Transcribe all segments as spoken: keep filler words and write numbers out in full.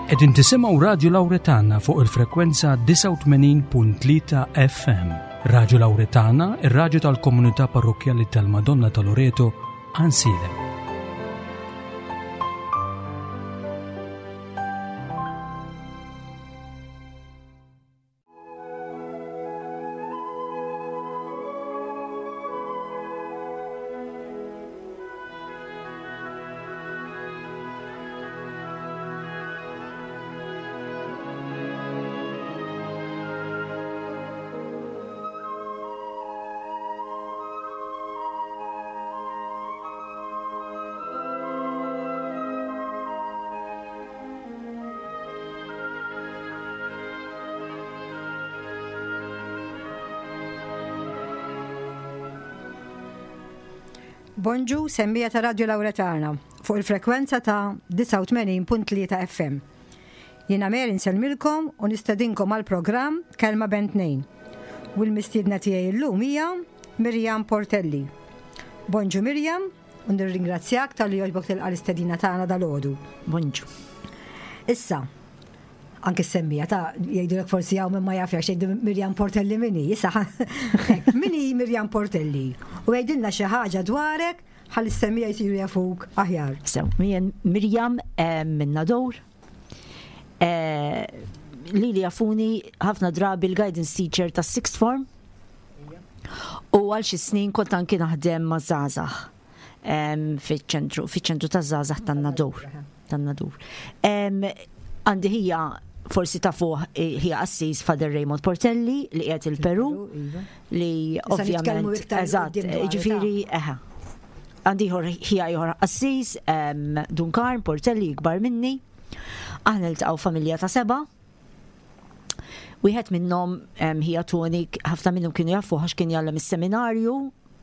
Qegħdin tisimgħu Radio Lauretana fuq il-frekwenza disgħa u tmenin punt tlieta F M. Radio Lauretana, ir-raġu tal-komunità parrokkjali tal-Madonna ta' Loreto, Għajnsielem. Bonġu, semmiegħa ta' Radio Lauretana fuq il-frekwenza ta' disgħa u tmenin punt tlieta F M. Jiena Mary nsellmilkom u nistedinkom għal programm Kelma Bejn Tnejn. U l-mistiedna tiegħi llum hija Mirjam Portelli. Bonġu Mirjam, u nirringrazzjak talli għoġbok tilqa' l-istedina tagħna dalgħodu. Bonġu. Issa, anke s-semmiegħa ta' jgħidu forsi hawn ma jafx jgħidu Mirjam Portelli min hi, issa min hi Mirjam Portelli? U għidilna xi ħaġa dwarek ħalli s-semmiegħa jsiru jafuk aħjar. So, jien Mirjam eh, minn Nadur. Eh, li li jafuni ħafna drabi l-guidance teacher ta' sixth form. U għal xi snin kont anki naħdem ma' żgħażagħ fiċ-ċentru, fiċ-ċentru ta' żgħażagħ tan-Nadur. Tan-Nadur. Għandi ħija, forsi tafuh, eh, ħija qassis Father Raymond Portelli li qiegħed il-Peru iva. li Issa nitkellmu ovvjament iktar eżatt, quddiem dwar, ġifieri eħe. Għandi ieħor ħija ieħor qassis em, Dun Karm Portelli, ikbar minni. Aħna niltaqgħu familja ta' seba'. Wieħed minnhom em, ħija Tony, ħafna minnhom kienu jafu għax kien jgħallem is-seminarju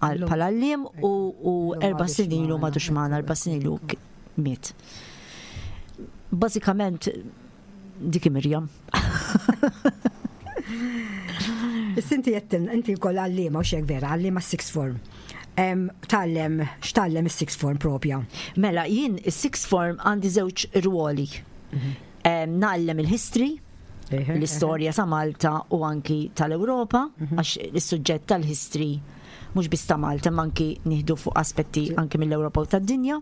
għal Illum. bħala għalliem u, u Illum erba' m'għadux snin ilu magħna, m'għadux magħna, erba' snin ilu k- miet. Bażikament dik Mirjam. Issa inti għedtilna, inti wkoll għalliema u xek vera, għalliema sixth form. Em, Tgħallem, x'tgħallem is-sixth form propja? Mela, jien is-sixth form għandi żewġ ruoli. Em, Ngħallem il-history, l-istorja ta' Malta u anki tal-Ewropa, għax is-suġġett tal-history mhux biss ta' Malta, ma anki nieħdu fuq aspetti anki mill-Ewropa u tad-dinja.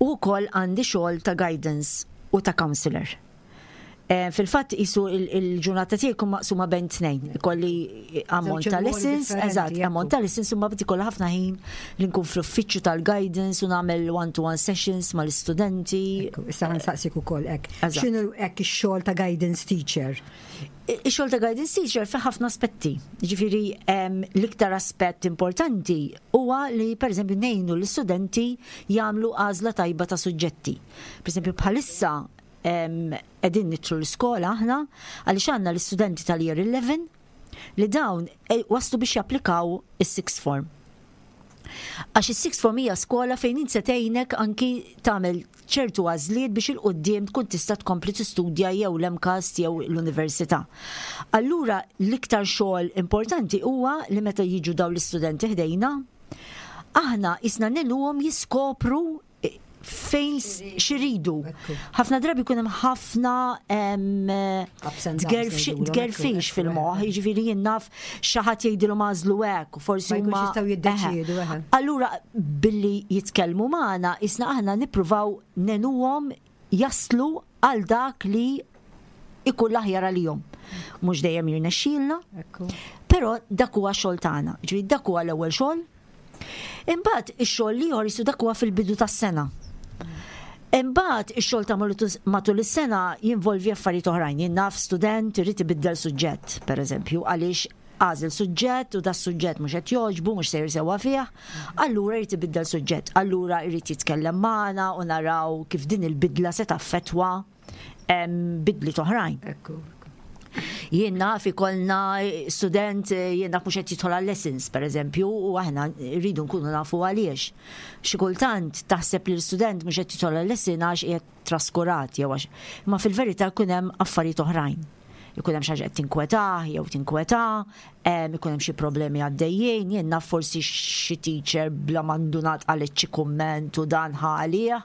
U wkoll għandi xogħol ta' guidance u ta' counselor. Eh, Fil-fatt jisu il-ġurnata tiegħi jkun maqsuma bejn tnejn. Ikolli ammont Żewġ ta' ruoli lessons, differenti, eżatt, ekku. ammont ta' lessons, imma bdi kollha ħafna ħin li nkun fl-uffiċċju tal-guidance u nagħmel one-to-one sessions mal-istudenti. Ekku, issa ħa nsaqsik ukoll hekk. Eżatt. X'inhu hekk ix-xogħol ta' guidance teacher? Ix-xogħol ta' guidance teacher fi ħafna aspetti. Ġifieri em, l-iktar aspett importanti huwa li pereżempju ngħinu l-istudenti jagħmlu għażla tajba ta' suġġetti. Pereżempju bħalissa em, qegħdin nidħlu l-iskola aħna għaliex għandna l-istudenti tal-year eleven li dawn eh, waslu biex japplikaw is-sixth form. Għax is-sixth form hija skola fejn int se tgħinek anki tagħmel ċertu għażliet biex 'il quddiem tkun tista' tkompli tistudja jew l-MCAST jew l-università. Allura l-iktar xogħol importanti huwa li meta jiġu dawn l-istudenti ħdejna, aħna isna ngħinuhom jiskopru eh, fejn s- x'iridu. Ekku. Ħafna drabi jkun hemm ħafna em, Ups and downs tgerfx- ngħidulhom, tgerfix ekku, fil-moħħ, ekku. jiġifieri jien naf xi ħadd jgħidilhom għażlu hekk u forsi Ma jkunx huma jistgħu jiddeċiedu, Eħe. eħe. Allura billi jitkellmu magħna, isna aħna nippruvaw ngħinuhom jaslu għal dak li ikun l-aħjar għalihom. Mhux dejjem jirnexxielna, Ekku. però dak huwa xogħol tagħna. Ġifieri dak huwa l-ewwel xogħol. Imbagħad ix-xogħol ieħor jisu dak huwa fil-bidu tas-sena. Imbagħad ix-xogħol ta' matul is-sena jinvolvi affarijiet oħrajn. Jien naf student irid ibiddel suġġett, pereżempju, għaliex għażel suġġett u da suġġett mhux qed jogħġbu, mhux sejjer sewwa fih, allura jrid ibiddel suġġett. Allura jrid jitkellem magħna u naraw kif din il-bidla se taffettwa em, bidliet oħrajn. Ekku. Jien naf ikollna student, eh, jien naf mhux qed jidħol għal lessons, per eżempju, u aħna rridu nkunu nafu għaliex. Xi kultant taħseb li l-student mhux qed jidħol għal lesson għax qiegħed traskurat jew għax. Ma fil-verità jkun hemm affarijiet oħrajn. Ikun hemm xi ħaġa qed tinkwetah jew tinkwetah, ikun hemm xi problemi għaddejjin, jien naf forsi xi teacher bla ma ndunat qalet xi kumment u dan ħalih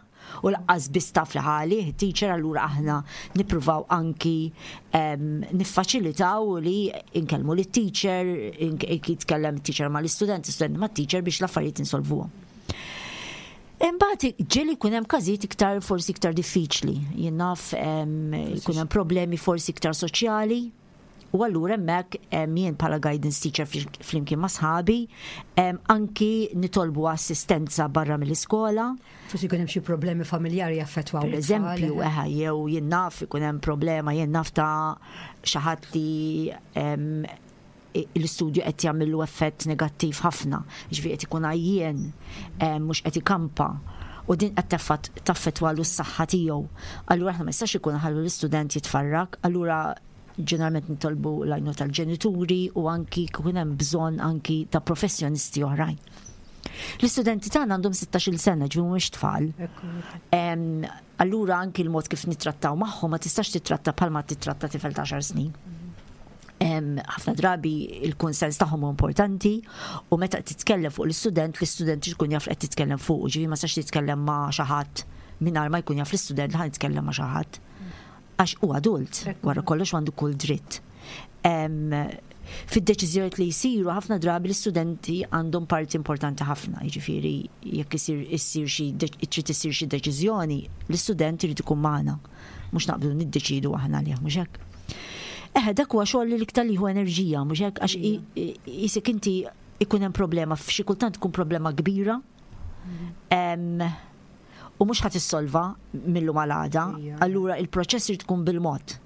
u lanqas biss taf li ħalih, teacher, allura aħna nippruvaw anki niffaċilitaw li inkellmu lit teacher, jitkellem teacher ma l-istudent, student ma teacher biex l-affarijiet insolvuhom. Imbagħad ġieli jkun hemm każijiet iktar forsi iktar diffiċli. Jien naf jkun hemm problemi forsi iktar soċjali. U allura hemmhekk jien bħala guidance teacher flimkien ma' sħabi anki nitolbu assistenza barra mill-iskola. Forsi jkun hemm xi problemi familjari jaffettwaw. Per eżempju, eħe, jew jien naf ikun hemm problema, jien naf ta' xi ħadd li l-istudju qed jagħmillu effett negattiv ħafna, ġifieri qed ikun għajjien, mhux qed ikampa. U din qed taffettwalu s-saħħa tiegħu. Allura aħna ma jistax ikun ħallu l-istudent jitfarrak, allura ġeneralment nitolbu l-għajnuna tal-ġenituri u anki kien hemm bżonn anki ta' professjonisti oħrajn. L-istudenti tagħna għandhom sittax-il sena, ġifieri mhumiex tfal. Allura anki l-mod kif nittrattaw magħhom ma tistax titratta bħalma titratta tifel ta' għaxar snin. Ħafna drabi il-konsens tagħhom huwa importanti u meta titkellem fuq l-istudent, l-istudent ikun jaf qed titkellem fuq, ġifieri ma tistax titkellem ma' xi ħadd mingħajr ma jkun jaf l-istudent li ħa nitkellem ma' xi ħadd. Għax hu adult, wara kollox għandu kull dritt. Fid-deċiżjonijiet li jsiru ħafna drabi l-istudenti għandhom parti importanti ħafna, jiġifieri jekk isir issir xi trid issir xi deċiżjoni, l-istudent irid ikun magħna, mhux naqbdu niddeċidu aħna għalih, mhux hekk. Eħe, dak huwa xogħol li l-iktar li hu enerġija, mhux hekk, għax isek inti ikun hemm problema, f'xi kultant tkun problema kbira. U mhux ħadd issolva mill-lum għal għada, allura il-proċess irid tkun bil-mod.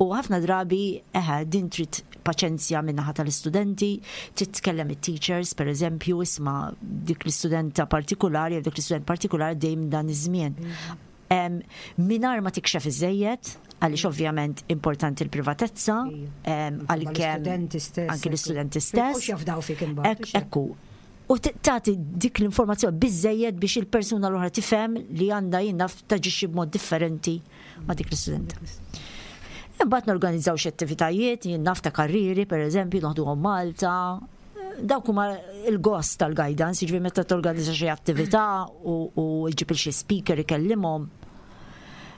U ħafna drabi, eħe, din trid paċenzja min-naħa tal-istudenti, trid tkellem it-teachers, per eżempju, isma' dik l-istudenta partikolari, jew dik l-istudent partikolari dejjem dan iż-żmien. Mingħajr ma tikxef iżejjed, għaliex ovvjament importanti l-privatezza, għalkemm anki l-istudenti stess. Jafdaw fik imbagħad. Ekku. U tagħti dik l-informazzjoni biżejjed biex il-persuna l-oħra tifhem li għandha jien naf taġixxi b'mod differenti ma' dik l-istudenta. Imbagħad norganizzaw xi attivitajiet, jien naf ta' karriri, per eżempju, noħduhom Malta. Dawk huma il-gost tal-guidance, jiġifieri meta torganizza xi attività u ġġib xi speaker ikellimhom.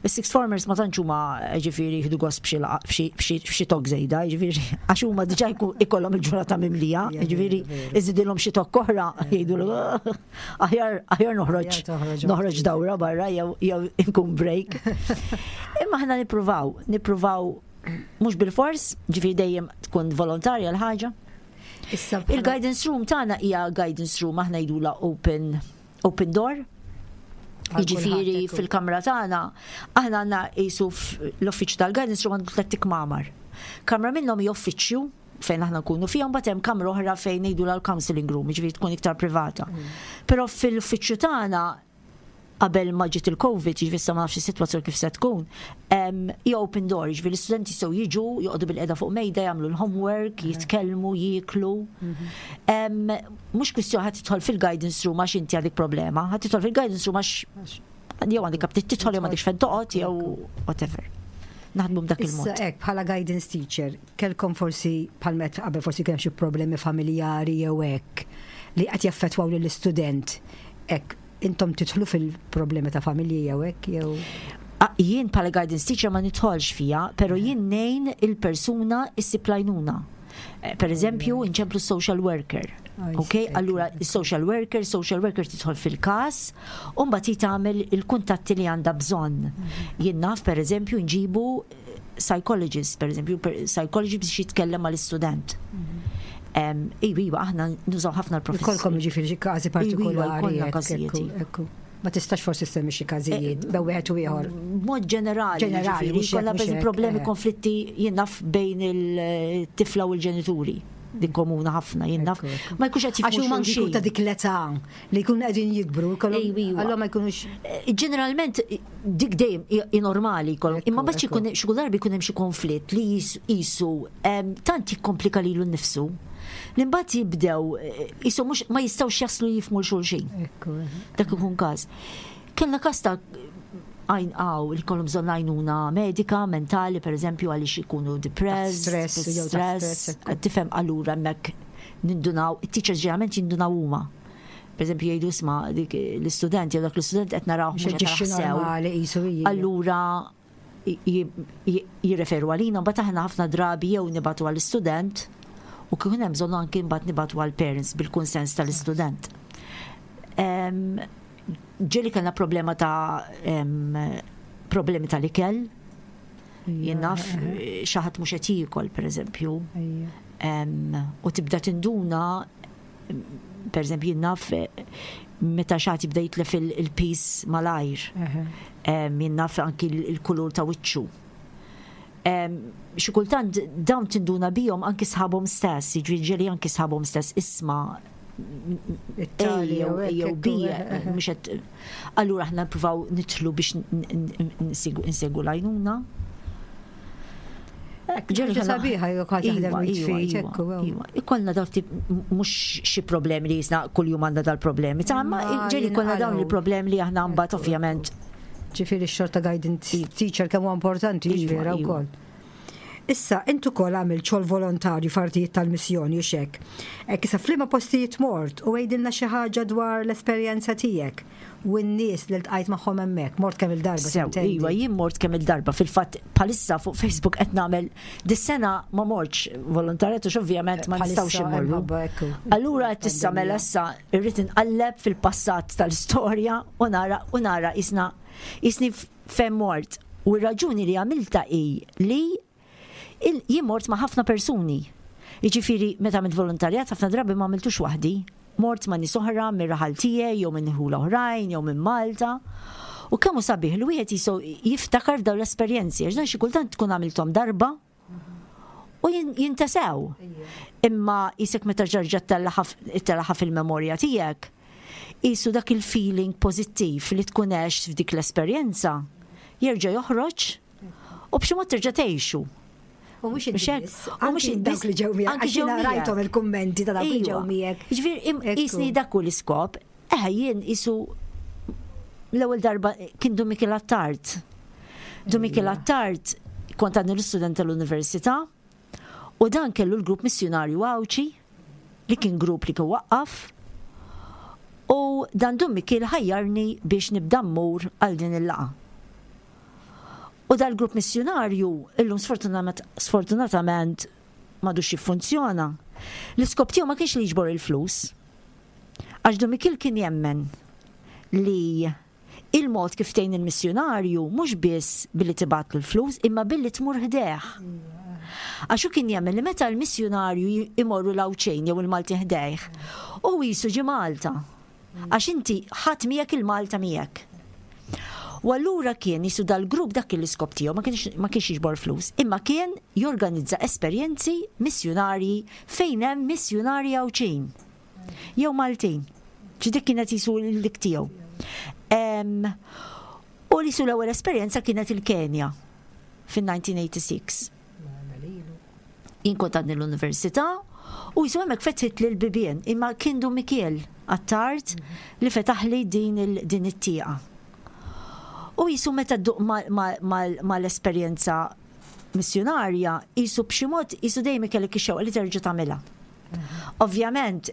Is-sixth formers ma tantx huma ġifieri jieħdu gost b'xi talk żejda, ġifieri għax huma diġà ikollhom il-ġurnata mimlija, ġifieri iżidilhom xi talk oħra jgħidu aħjar aħjar noħroġ noħroġ dawra barra jew jew inkun break. Imma aħna nippruvaw, nippruvaw mhux bil-fors, ġifieri dejjem tkun volontarja l-ħaġa. Il-guidance room tagħna hija guidance room, aħna jgħidula open open door. Jiġifieri fil-kamra tagħna aħna għandna qisu l-uffiċċju tal-guidance room għandu tliet kmamar. Kamra minnhom hija uffiċċju fejn aħna nkunu fihom, mbagħad hemm kamra oħra fejn ngħidu l-counseling room, jiġifieri tkun iktar privata. Però fil-uffiċċju tagħna qabel ma ġiet il-Covid, jiġifieri issa ma nafx is-sitwazzjoni kif se tkun, hija open door, jiġifieri l-istudenti jistgħu jiġu, joqogħdu bil-qeda fuq mejda, jagħmlu l-homework, jitkellmu, jieklu. Mhux kwistjoni ħadd tidħol fil-guidance room għax inti għandek problema, ħadd tidħol fil-guidance room għax jew għandek aptit tidħol jew m'għandekx fejn toqgħod jew whatever. Naħdmu b'dak il-mod. Issa hekk bħala guidance teacher, kellkom forsi bħal met qabel forsi kemm xi problemi familjari jew hekk li qed jaffettwaw lill-istudent. Hekk intom tidħlu fil-problemi ta' familji jew hekk jew Jien bħala guidance teacher ma nidħolx fija, pero jien ngħin il-persuna issib l-għajnuna. Eh, per eżempju, inċemplu social worker. Ok, allura social worker, social worker tidħol fil-kas, u mbagħad tagħmel il-kuntatti li għandha bżonn. Mhm. Jien naf, per eżempju, nġibu psychologist, per eżempju, psychologist biex jitkellem mal-istudent. Mhm. Iva, iva, aħna nużaw ħafna l-professjoni. Ikolkom ġifieri xi każi partikolari. Każijiet. Ma tistax forsi semmi xi każijiet, eh, bew wieħed u ieħor. Mod ġenerali. Ġenerali, kollha problemi, eh. konflitti jien naf bejn il-tifla u l-ġenituri. Din komuna ħafna, jien naf. Ma jkunx qed Għax huma anki ta' dik l-età li jkunu qegħdin jikbru, allura ma jkunux. Eh, ġeneralment dik dejjem hi normali jkollhom, imma mbagħad xi xi darbi jkun hemm xi konflitt li jisu tant jikkomplika lilu nnifsu li mbagħad jibdew jisu mhux ma jistgħux jaslu jifhmu 'l xulxin. Dak ikun każ. Kellna każ ta' Għaw, li jkollhom bżonn għajnuna medika, mentali, per eżempju, għaliex ikunu depressed, stress, jew ta' stress, ekku. Tifhem, allura hemmhekk nindunaw, it-teachers ġeneralment jindunaw huma. Per eżempju, jgħidu, "Isma', dik l-istudent jew dak l-istudent qed naraw mhux qed Xi narah sew." Normali qisu hija. Allura j- j- jirreferu għalina, mbagħad aħna ħafna drabi jew nibagħtu għall-istudent u kien hemm bżonn anki mbagħad nibagħtu għall-parents bil-kunsens tal-istudent. Em, Ġieli kellna problema ta' em, problemi tal-ikel, jien naf, xi ħadd mhux qed jiekol, per eżempju, Ejja. Em, u tibda tinduna, per eżempju, jien naf, meta xi ħadd jibda jitlef il- il-piż malajr. Eħe. Em, Jien naf, anki il- il-kulur ta' wiċċu. Em, Xi kultant dawn tinduna bihom anki sħabhom stess, jiġri ġieli anki sħabhom stess, "Isma', It-tali jew jew jew hekk, B, ekku, eħe. mhux qed." Allura aħna nippruvaw nidħlu biex n- n- nsegu insegu l-għajnuna. Ġieli Ħaġa kellna- sabiħa jekk ħadd jaħdem Iva, jitfi, iva, ekku, ew. iva. Ikollna daw tip, mhux xi problemi li jisna kull jum għandna dal-problemi. Ta' ma Ma ġieli kollna dawn jinqalgħu. il-problemi li aħna mbagħad ovvjament Ġifieri x-xogħol ta' guidance teacher kemm huwa importanti, Iva, ġifieri iva. wkoll. Issa, intu kol għamil xogħol volontarju f'artijiet tal-missjoni u xek. Ek issa f'liema postijiet mort u għidilna xi ħaġa dwar l-esperjenza tiegħek u n-nies li ltqajt magħhom hemmhekk? Mort kemm il-darba? Sew, tintendi? iva, jien mort kemm il-darba. Fil-fatt, bħalissa fuq Facebook qed nagħmel, dis-sena ma mortx volontarjat għax ovvjament ma Bħalissa nistgħux immorru. minħabba, ekku, Allura qed issa mela issa irrid inqalleb fil-passat tal-istorja u nara u nara isna isni fejn mort. U r-raġuni li għamilta hi li il- jien mort ma' ħafna persuni. Jiġifieri meta għamilt volontarjat ħafna drabi ma għamiltux waħdi. Mort ma' nies oħra mir-raħal tiegħi jew minn ħula oħrajn jew minn Malta. U kemm hu sabiħ li wieħed jiso jiftakar f'dawn l-esperjenzi, għax dan xi kultant tkun għamilthom darba u jin- jintasew. Imma jisek meta terġa' ttellagħha fil-memorja tiegħek, jisu dak il-feeling pożittiv li tkun għext f'dik l-esperjenza jerġa' joħroġ u b'xi mod terġa' tgħixu. U mhux Mhux hekk? inti biss, U mhux anki inti dawk li ġew miegħek, anki għax ġew jiena miegħek. rajthom il-kummenti ta' dawk li ġew Iva. miegħek. Ġifieri, im- Ekku. jisni dak hu l-iskop. Eh, jien isu l-ewwel darba kien Dun Mikiel Attard. Dun Mikiel Attard kont għadni l-istudent tal-università u dan kellu l-grupp missjonarju Għawdxi li kien grupp li kien waqqaf u dan Dun Mikiel ħajjarni biex nibda mmur għal din il-laqgħa. U dal-grupp missjonarju illum sfortunament sfortunatament m'għadux jiffunzjona. L-iskop tiegħu ma kienx li jiġbor il-flus. Għax Dun Mikiel kien jemmen li il-mod kif tgħin il-missjonarju mhux biss billi tibgħat l-flus imma billi tmur ħdejh. Għax hu kien jemmen li meta l-missjonarju imorru l-Għawdxin jew il-Malti ħdejh, u jisu ġi Malta. Għax inti ħadd miegħek il-Malta miegħek. U allura kien jisu dal-grupp dak l-iskop tiegħu ma kienx ma kienx jiġbor flus, imma kien jorganizza esperjenzi missjonarji fejn hemm missjonarji Għawdxin jew Maltin. Ġi dik kienet jisu l-dik tiegħu. Em, U li su l-ewwel esperjenza kienet il-Kenja fin-elf disa' mija u sitta u tmenin. Jien kont għadni l-università u jisu hemmhekk fetħit li l-bibien, imma kien Dun Mikiel Attard li fetaħli din il- din it-tieqa. U jisu meta dduq mal-esperjenza missjonarja, jisu b'xi mod jisu dejjem kellek ix-xewqa li terġa' tagħmilha. Ovvjament,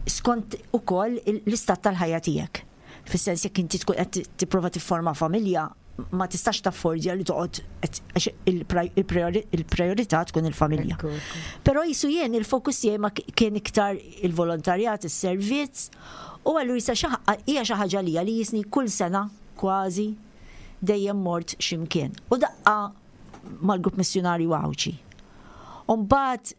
skont ukoll l-istat tal-ħajja tiegħek. Fis-sens jekk inti tkun qed tipprova tifforma familja, ma tistax taffordja li toqgħod qed- għax il-priorità tkun il-familja. Ekku, ekku. Però jisu jien il-fokus tiegħi ma kien iktar il-volontarjat, is-servizz, u għallu jisa hija xi ħaġa lija li jisni kull sena kważi dejjem mort x'imkien. U daqqa mal-grupp missjonarju Għawdxi. U mbagħad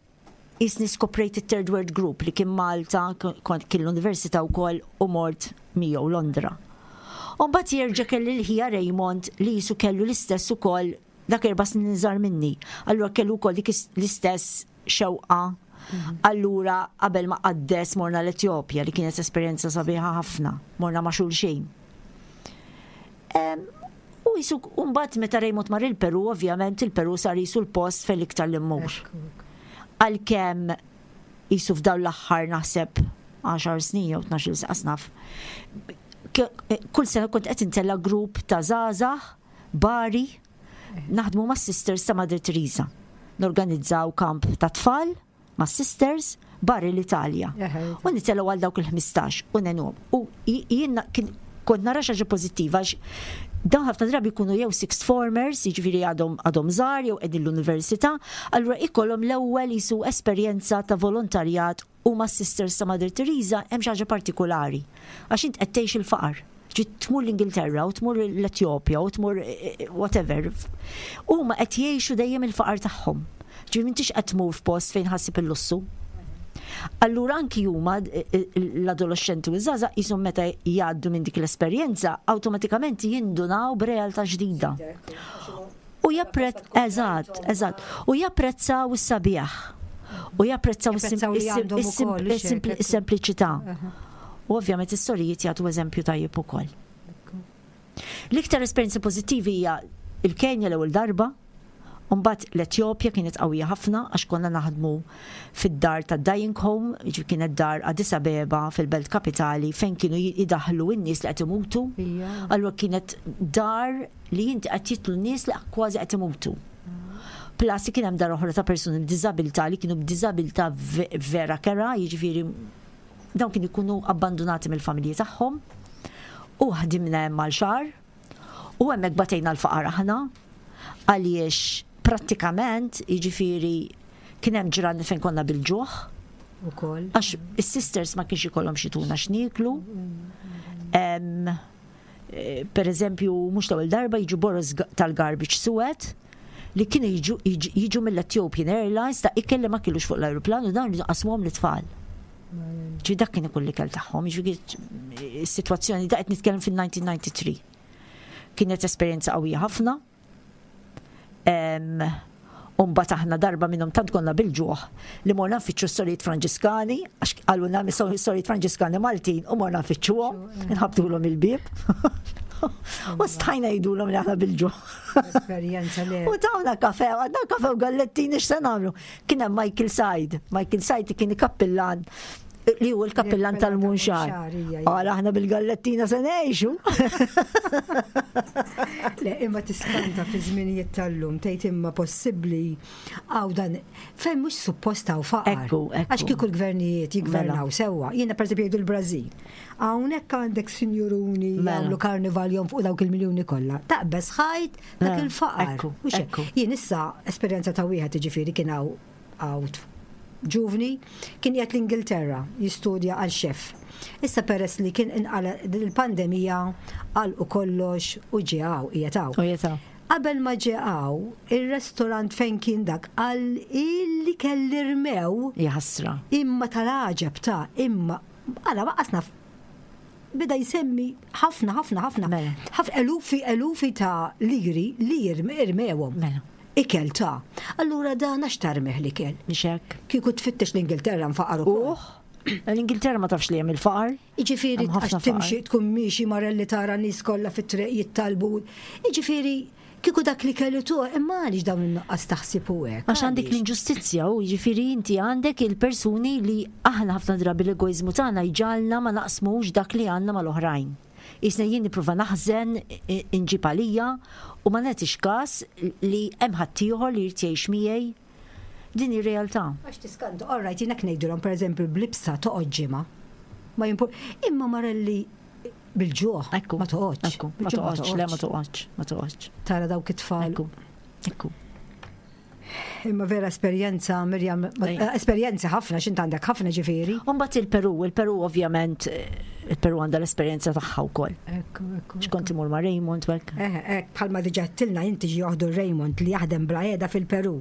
jisni skoprejt it-Third World Group li kien Malta, kont kien l-università wkoll u mort miegħu Londra. U mbagħad jerġa' kelli l-ħija Raymond li jisu kellu l-istess ukoll, dak erba' snin iżgħar minni. Allura kellu wkoll dik l-istess xewqa. Allura qabel ma qaddes morna l-Etjopja li kienet esperjenza sabiħa ħafna. Morna ma' xulxin. Em, U jisu, mbagħad meta Raymond mar il-Peru, ovvjament il-Peru sar jisu l-post fejn iktar li mmur. Għalkemm jisu f'dawn l-aħħar naħseb għaxar snin jew tnax-il sena naf. Kull sena kont qed intella' grupp ta' żgħażagħ Bari naħdmu ma' Sisters ta' Mother Teresa. Norganizzaw kamp ta' tfal ma' Sisters Bari l-Italja. U nitellgħu għal dawk il-ħmistax u ngħinuhom. U jien kont nara xi ħaġa pożittiva għax dawn ħafna drabi jkunu jew sixth formers, jiġifieri għadhom għadhom żgħar jew qegħdin l-università, allura ikollhom l-ewwel jisu esperjenza ta' volontarjat u ma' Sisters ta' Mother Teresa hemm xi ħaġa partikolari. Għax int qed tgħix il-faqar. Ġi tmur l-Ingilterra u tmur l-Etjopja u tmur eh, eh, whatever. Huma qed jgħixu dejjem il-faqar tagħhom. Ġi m'intix qed tmur f'post fejn ħassib il-lussu. Allura anki huma eh, eh, l-adolescenti u ż-żgħażagħ jisom meta jgħaddu minn dik l-esperjenza awtomatikament jindunaw b'realtà ġdida. U japprezz, eżatt, eżatt, u japprezzaw is-sabiħ. U japprezzaw Japprezzaw li għandhom ukoll, is-sempliċità. U ovvjament is-sorijiet jagħtu eżempju tajjeb ukoll. L-iktar esperjenza pożittivi hija il-Kenja l-ewwel darba, Mbagħad l-Etjopja kienet qawwija ħafna għax konna naħdmu fid-dar ta' Dying Home, jiġifieri kienet dar Addis Abeba fil-belt kapitali fejn kienu jidaħlu n-nies li qed imutu. Ija. Allura kienet dar li inti qed jidħlu n-nies li kważi qed imutu. Plus kien hemm dar oħra ta' persuni b'diżabilità li kienu b'diżabilità ve- vera kerha, jiġifieri dawn kienu jkunu abbandonati mill-familji tagħhom. U ħdimna hemm għal xahar u hemmhekk batejna l-faqar aħna għaliex prattikament jiġifieri kien hemm ġranet fejn konna bil-ġuħ Ukoll. għax is-sisters ma kienx ikollhom x'jtuna x'nieklu. Em, eh, Per eżempju, mhux l-ewwel darba jiġu boroż ga- tal-garbage suwed li kienu jiġu, jiġu, jiġu mill-Ethiopian Airlines ta' ikel li ma kilux fuq l-aeroplan u dan qasmuhom lit-tfal. Ġi dak kien ikun l-ikel tagħhom, jiġifieri is-sitwazzjoni da qed nitkellem fil-elf disa' mija u tnejn u disgħin. Kienet esperjenza qawwija ħafna. Em, U mbagħad aħna darba minnhom tant konna bil-ġuħ li morna nfittxu s-sorijiet Franġiskani, għax qalulna s-sorijiet Franġiskani Maltin u morna nfittxuhom, nħabtulhom il-bieb. U stajna ngħidulhom li aħna bil-ġuħ. Esperjenza li. U tawna kafe, għadna kafe u gallettini x'se nagħmlu. Kien hemm Michael Said, Michael Said kien kappillan li hu l-kappillan tal-Munxar. Tal-Munxar, ija, ija. Għala aħna bil-gallettina se ngħixu. Le, imma tiskanta fi żminijiet tal-lum, tgħid imma possibbli għaw dan, fejn mhux suppost hawn faqar. Ekku, ekku. Għax kieku l-gvernijiet jigvernaw Mela. sewwa. Jiena pereżempju jgħidu l-Brażil. Hawnhekk għandek sinjuruni Mela. jagħmlu karnival jom fuq dawk il-miljuni kollha. Taqbeż ħajt dak Mela, il-faqar. ekku, Mhux hekk. ekku. Jien issa esperjenza ta' wieħed jiġifieri kien hawn hawn ġuvni kien qiegħed l-Ingilterra jistudja għal xef. Issa peress li kien inqala il-pandemija għal u kollox u ġie hawn qiegħed hawn. U jeta. Qabel ma ġie hawn, ir-restorant fejn kien dak għal illi kelli rmew Jaħasra. imma tal-għaġeb ta' imma għala waqasna bida jsemmi ħafna ħafna ħafna Mela. ħafna elufi elufi ta' liri li irmewhom. Mela. Ikel ta'. Allura dan għax tarmih l-ikel. Mhix hekk. Kieku tfittex l-Ingilterra nfaqar ukoll. Uħ, l-Ingilterra ma tafx li hemm il-faqar. Iġifieri Hemm ħafna għax timxi faqar. tkun miexi marelli tara nies kollha fit-triq jittalbu. Iġifieri kieku dak li kellu tu, imma għaliex dawn in-nuqqas taħsib u hekk. Għax għandek Għaliex? l-inġustizzja u jiġifieri inti għandek il-persuni li aħna ħafna drabi l-egoizmu tagħna jġagħalna ma naqsmux dak li għandna mal-oħrajn. Isna jien nipprova naħżen i- inġib għalija u ma nagħtix każ li hemm ħaddieħor li jrid jgħix miegħi. Din ir-realtà. Għax tiskantu, all right, jiena ngħidulhom pereżempju bl-libsa toqgħod ġimgħa. Ma jimpur, imma marelli bil-ġuħ. Ekku. Ma toqgħodx. Ekku, ma Bil-ġuħ toqgħodx, le ma toqgħodx, ma toqgħodx. Tara dawk it-tfal. Ekku. Ekku. Imma vera esperjenza, Mirjam, ma- Ej. eh, esperjenza ħafna, x'int għandek ħafna ġifieri. Umbagħad il-Peru, il-Peru ovvjament, eh, il-Peru għandha l-esperjenza tagħha wkoll. Ekku, ekku. X'kont imur ma' Raymond u hekk. Eh, ek, bħalma diġà tilna inti ġi joħdu Raymond li jaħdem bla qiegħda fil-Peru.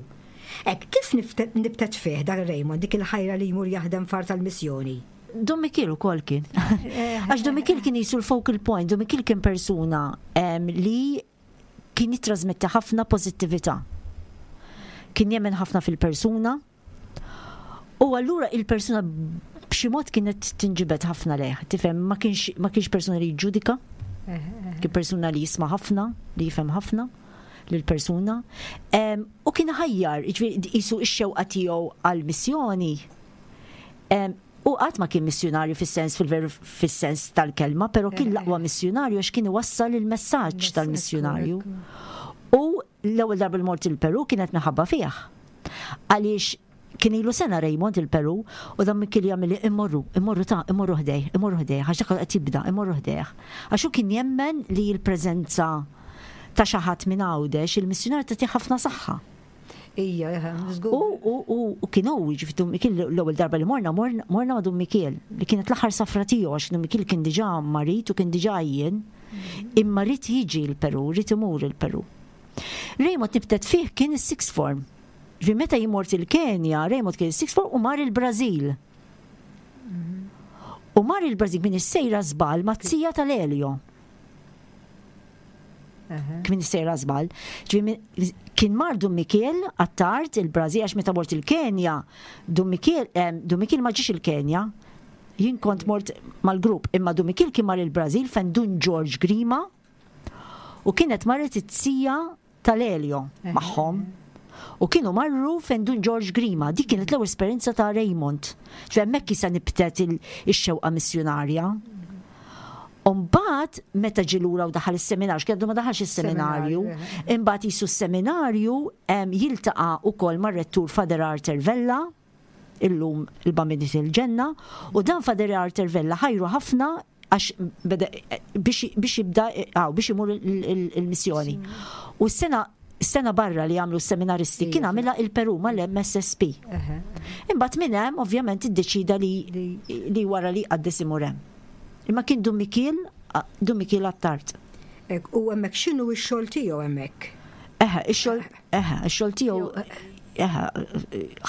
Ek, kif nifte- nibtet fih dak Raymond, dik il-ħajra li jmur jaħdem far tal-missjoni? Dom Mikiel ukoll kien. Għax Dom Mikiel kien jisu l-focal point, Dom Mikiel kien persuna em, li kien jitrasmetti ħafna pozittività. Kien jemmen ħafna fil-persuna. U allura il-persuna b'xi mod kienet tinġibed ħafna lejh. Tifhem, ma kienx ma kienx persuna li jġudika, kien persuna li jisma' ħafna, li jifhem ħafna lill-persuna. Em, U kien ħajjar, jiġifieri jisu x-xewqa tiegħu għall-missjoni. Em, U qatt ma kien missjunarju fis-sens fil-veru fis-sens tal-kelma, però kien l-aqwa missjunarju għax kien iwassal il-messaġġ tal-missjunarju. U l-ewwel darba li mort il-Peru kienet minħabba fih. Għaliex kien ilu sena Raymond il-Peru u Dun Mikiel jagħmel immorru, immorru ta' immorru ħdejh, immorru ħdejh, għax dak qed jibda, immorru ħdejh. Għax hu kien jemmen li l-preżenza ta' xi ħadd minn Għawdex il-missjonar tagħti ħafna saħħa. Ija, żgur. U, u, u, u kien hu, ġifieri Dun Mikiel l-ewwel darba li morna, morna, morna ma' Dun Mikiel, li kienet l-aħħar safra tiegħu għax Dun Mikiel kien diġà marid u kien diġà għajjien, imma ried jiġi l-Peru, ried imur il-Peru. Raymond nibtet fih kien is-sixth form. Ġifieri meta jien mort il-Kenja, Raymond kien is-sixth form u mar il-Brażil. U mar il-Brażil minn is-sejra żball maz-zija tal-Elio. Kien sejra żball. Ġifieri kien mar Dun Mikiel Attard il-Brażil għax meta mort il-Kenja, Dun Mikiel, em, Dun Mikiel ma ġiex il-Kenja. Jien kont mort mal-grupp, imma Dun Mikiel kien mar il-Brażil fejn Dun George Grima u kienet marret it-zija tal-Elio magħhom. U kienu marru fejn Dun George Grima, dik kienet l-ewwel esperjenza ta' Raymond. Ġifieri hemmhekk issa nibtet il-xewqa missjonarja. Umbagħad, meta ġie lura u daħal is-seminarju, kien ma daħalx is-seminarju, imbagħad jisu s-seminarju em, jiltaqa' ukoll mar-rettur Father Arthur Vella, illum il-Bambin il-Ġenna, u dan Father Arthur Vella ħajru ħafna għax beda- biex biex jibda għaw, biex imur il- il- il-missjoni. U s-sena s-sena barra li għamlu s-seminaristi kien għamilha il-Peru mal-M S S P. Imbagħad minn hemm ovvjament iddeċida li li wara li qaddes imur hemm. Imma kien Dun Mikiel, Dun Mikiel Attard. Ek, u hemmhekk x'inhu x-xogħol tiegħu hemmhekk? Eħe, ix-xogħol, eħe, ix-xogħol tiegħu eħe,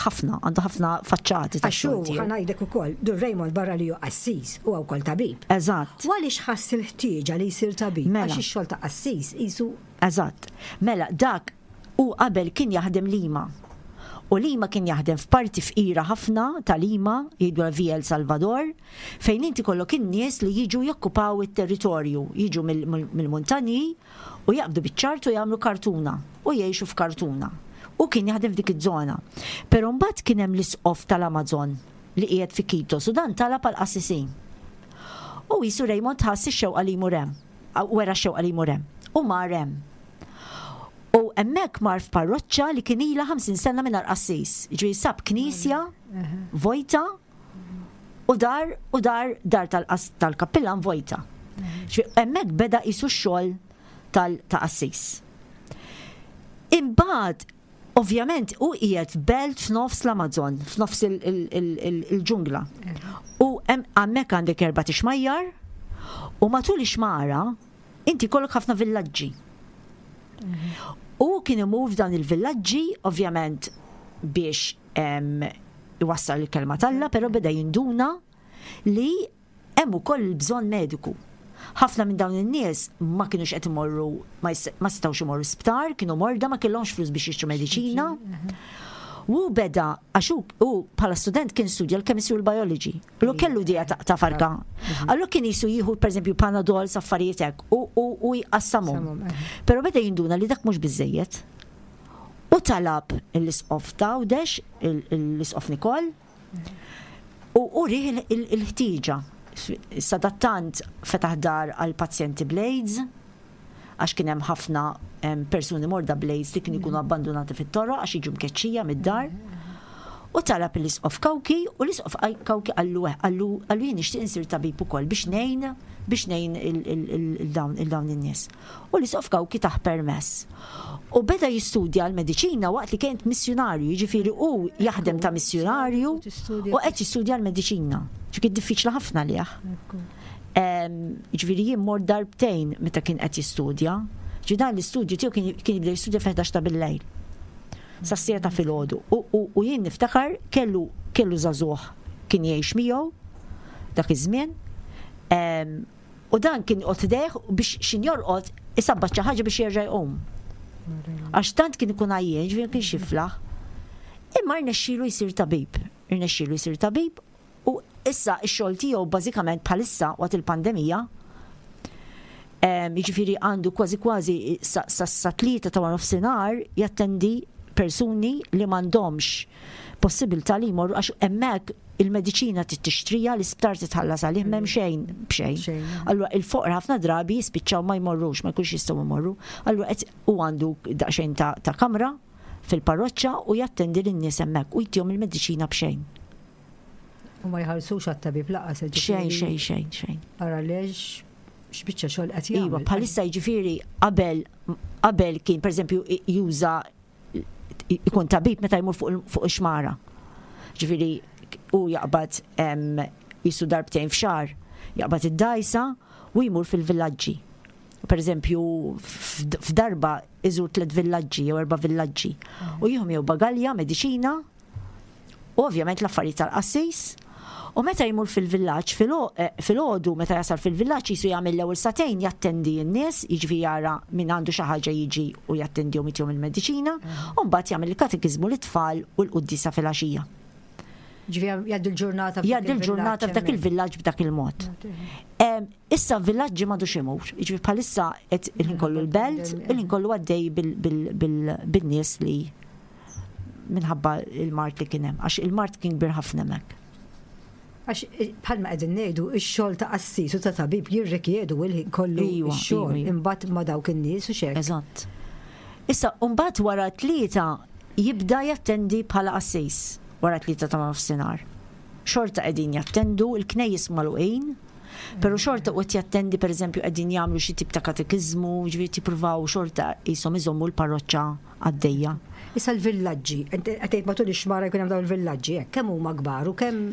ħafna, għandu ħafna faċċati ta' Għax hu xogħol tiegħu. ħa ngħidlek ukoll, Dun Raymond barra li hu qassis u wkoll tabib. Eżatt. U għaliex ħass il-ħtieġa li jsir tabib? Mela. Għax ix-xogħol ta' qassis qisu Eżatt. Mela, dak u qabel kien jaħdem Lima. U Lima kien jaħdem f'parti fqira ħafna ta' Lima, jgħidu Villa El Salvador, fejn inti kollok in-nies li jiġu jokkupaw it-territorju, jiġu mill- mill- mill-muntanji u jaqbdu biċ-ċart u jagħmlu kartuna u jgħixu f'kartuna. U kien jaħdem f'dik iż-żona. Però mbagħad kien hemm l-isqof tal-Amazon li qiegħed fi Quito, u dan talab għal qassisin. U jisu Raymond ħass ix-xewqa li jmur hemm. Wera x-xewqa li jmur hemm. U mar hemm. U hemmhekk mar f'parroċċa li kien ilha ħamsin sena mingħajr qassis. Ġifieri sab knisja vojta u dar u dar dar tal-qas- tal-kappillan vojta. Ġifieri hemmhekk beda jisu x-xogħol tal ta' qassis. Imbagħad ovvjament u qiegħed f'belt f'nofs l-Amazon, f'nofs il- il- il- il- il-ġungla. U hemm hemmhekk għandek erba' tixmajjar u matul ix-xmara inti kollok ħafna villaġġi. U kien imur f'dan il-villaġġi, ovvjament biex em, iwassal il-kelma t'Alla, però beda jinduna li hemm ukoll il-bżonn mediku. Ħafna minn dawn in-nies ma kienux qed imorru ma jis- ma setgħux imorru sptar, kienu morda, ma kellhomx flus biex jixtru mediċina. U beda, għax hu hu bħala student kien studja l-chemistry u l-biology. Lu kellu dija ta' ta' farka. Allura kien jisu jieħu per eżempju Panadol, affarijiet hekk u u u jqassamhom. Samhom, eh. Però beda jinduna li dak mhux biżejjed. U talab l-isqof ta' Għawdex, l-isqof Nikol, u urih il- il- il-ħtieġa. Sadattant fetaħ dar għal pazjenti bl-AIDS, għax kien hemm ħafna em, persuni morda bl-AIDS li kienu jkunu abbandonati fit-toroq għax jiġu mkeċċija mid-dar. U talab l-isqof Cauchi u l-isqof Cauchi qallu qallu qallu jien nixtieq insir tabib ukoll biex ngħin biex ngħin il-dawn il-dawn in-nies. U l-isqof Cauchi tah permess. U beda jistudja l-mediċina waqt li kien missjonarju, jiġifieri hu jaħdem ta' missjonarju u qed jistudja l-mediċina. Ġifieri diffiċli ħafna lieh. Ġifieri jien mort darbtejn meta kien qed jistudja. Ġi dan l-istudju tiegħu kien kien jibda jistudja fil-ħdax ta' bil-lejl. Sas-siegħa ta' filgħodu. U, u, u jien niftakar kellu kellu żagħżugħ kien jgħix miegħu dak iż-żmien. Em, U dan kien joqgħod ħdejh biex xin jorqod isabbat xi ħaġa biex jerġa' jqum. Għax tant kien ikun għajjien, ġifieri kien xiflaħ. Imma rnexxielu jsir tabib. Rnexxielu jsir tabib u issa x-xogħol tiegħu bażikament bħalissa waqt il-pandemija em, jiġifieri għandu kważi kważi sa, sa, sa tlieta ta' nofsinhar jattendi persuni li m'għandhomx possibilità li jmorru, għax hemmhekk il-mediċina tixtrija, l-isptar titħallas għalih, m'hemm xejn b'xejn. Allura il-foqra ħafna drabi jispiċċaw ma jmorrux, ma jkunx jistgħu jmorru. Allura qed u għandu daqsxejn ta', ta kamra fil-parroċċa u jattendi lin-nies hemmhekk u jtihom il-mediċina b'xejn. U ma jħallsux għat-tabib lanqas. Xejn, xejn, xejn, xejn. Ara lex x'biċċa xogħol qed jagħmel. Iva, bħalissa, jiġifieri qabel qabel kien, pereżempju, juża ikun tabib meta jmur fuq fuq ix-xmara. Ġifieri u jaqbad jisu darbtejn f'xahar, jaqbad id-dajsa u jmur fil-villaġġi. Per eżempju, f'darba iżur tliet villaġġi jew erba' villaġġi. U jieħu jew bagalja, mediċina, u ovvjament l-affarijiet tal-qassis. U meta jmur fil-villaġġ, filgħodu meta jasal fil-villaġġ, jisu jagħmel l-ewwel sagħtejn jattendi n-nies, jiġifieri jara min għandu xi ħaġa, jiġi u jattendihom, jtihom il-mediċina, u mbagħad jagħmel il-katekiżmu lit-tfal u l-quddiesa filgħaxija. Ġifieri jgħaddi l-ġurnata. Jgħaddi l-ġurnata f'dak il-villaġġ b'dak il-mod. Issa villaġġi m'għadux imur, jiġifieri bħalissa qed il-ħin kollu l-belt, il-ħin kollu għaddej bin-nies li minħabba il-mard li kien hemm, għax il-mard kien kbir ħafna hemmhekk. Għax bħalma qegħdin ngħidu, ix-xogħol ta' qassis u ta' tabib jirrikjedu il-ħin kollu x-xogħol imbagħad ma' dawk in-nies u xek. Eżatt. Issa mbagħad wara tlieta jibda jattendi bħala qassis, wara tlieta ta' nofsinhar. Xorta qegħdin jattendu, il-knejjes magħluqin, pero xorta qed jattendi, pereżempju qegħdin jagħmlu xi tip ta' katekiżmu, ġifieri tippruvaw xorta qishom iżommu l-parroċċa għaddejja. Issa l-villaġġi, qed matul ix-xmara jkun hemm dawn il-villaġġi, kemm huma kbar u kemm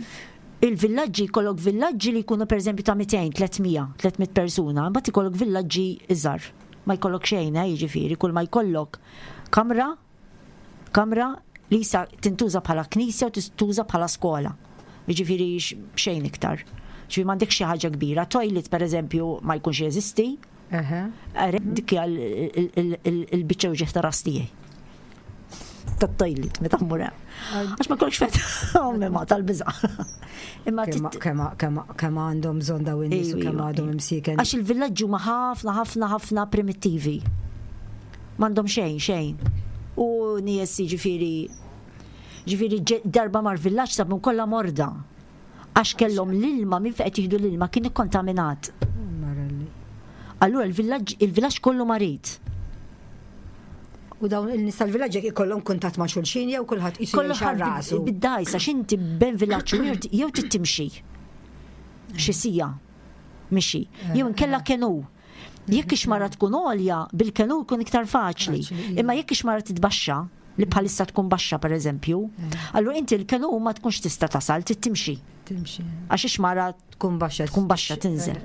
Il-villaġġi, jkollok villaġġi li jkunu pereżempju ta' mitejn, tliet mija, tliet mitt persuna, mbagħad ikollok villaġġi iżgħar. Ma jkollok xejn, eh, jiġifieri, kull ma jkollok kamra, kamra li sa tintuża bħala knisja u tintuża bħala skola. Jiġifieri xejn iktar. Ġifieri m'għandek xi ħaġa kbira. Toilet, pereżempju, ma jkunx jeżisti. Dik hija il-biċċa uġigħ ta' ras tiegħi. Tat-toilet, meta mmur hemm. Għax ma jkollokx fejn, ommi ma tal-biża'. Imma kemm għandhom bżonn dawn in-nies u kemm għandhom imsieken. Għax il-villaġġi huma ħafna, ħafna, ħafna primittivi. M'għandhom xejn, xejn. U nies, jiġifieri ġifieri darba mar villaġġ, sabhom kollha morda. Għax kellhom l-ilma, minn fejn qed jieħdu l-ilma kien ikkontaminat. Allura il-villaġġ il-villaġġ kollu marid. U dawn il-nies tal-villaġġ jekk ikollhom kuntatt ma' xulxin jew kulħadd qisu Kollu rasu? Bid-dajsa, x'inti bejn villaġġ u ieħor jew trid timxi xi siegħa mixi, jew inkella canoe. Jekk ix-xmara tkun għolja, bil-canoe jkun iktar faċli. Imma jekk ix-xmara titbaxxa, li bħalissa tkun baxxa pereżempju, allura inti l-canoe ma tkunx tista' tasal, trid timxi. Timxi. Għax ix-xmara tkun baxxa. Tkun baxxa, tinżel.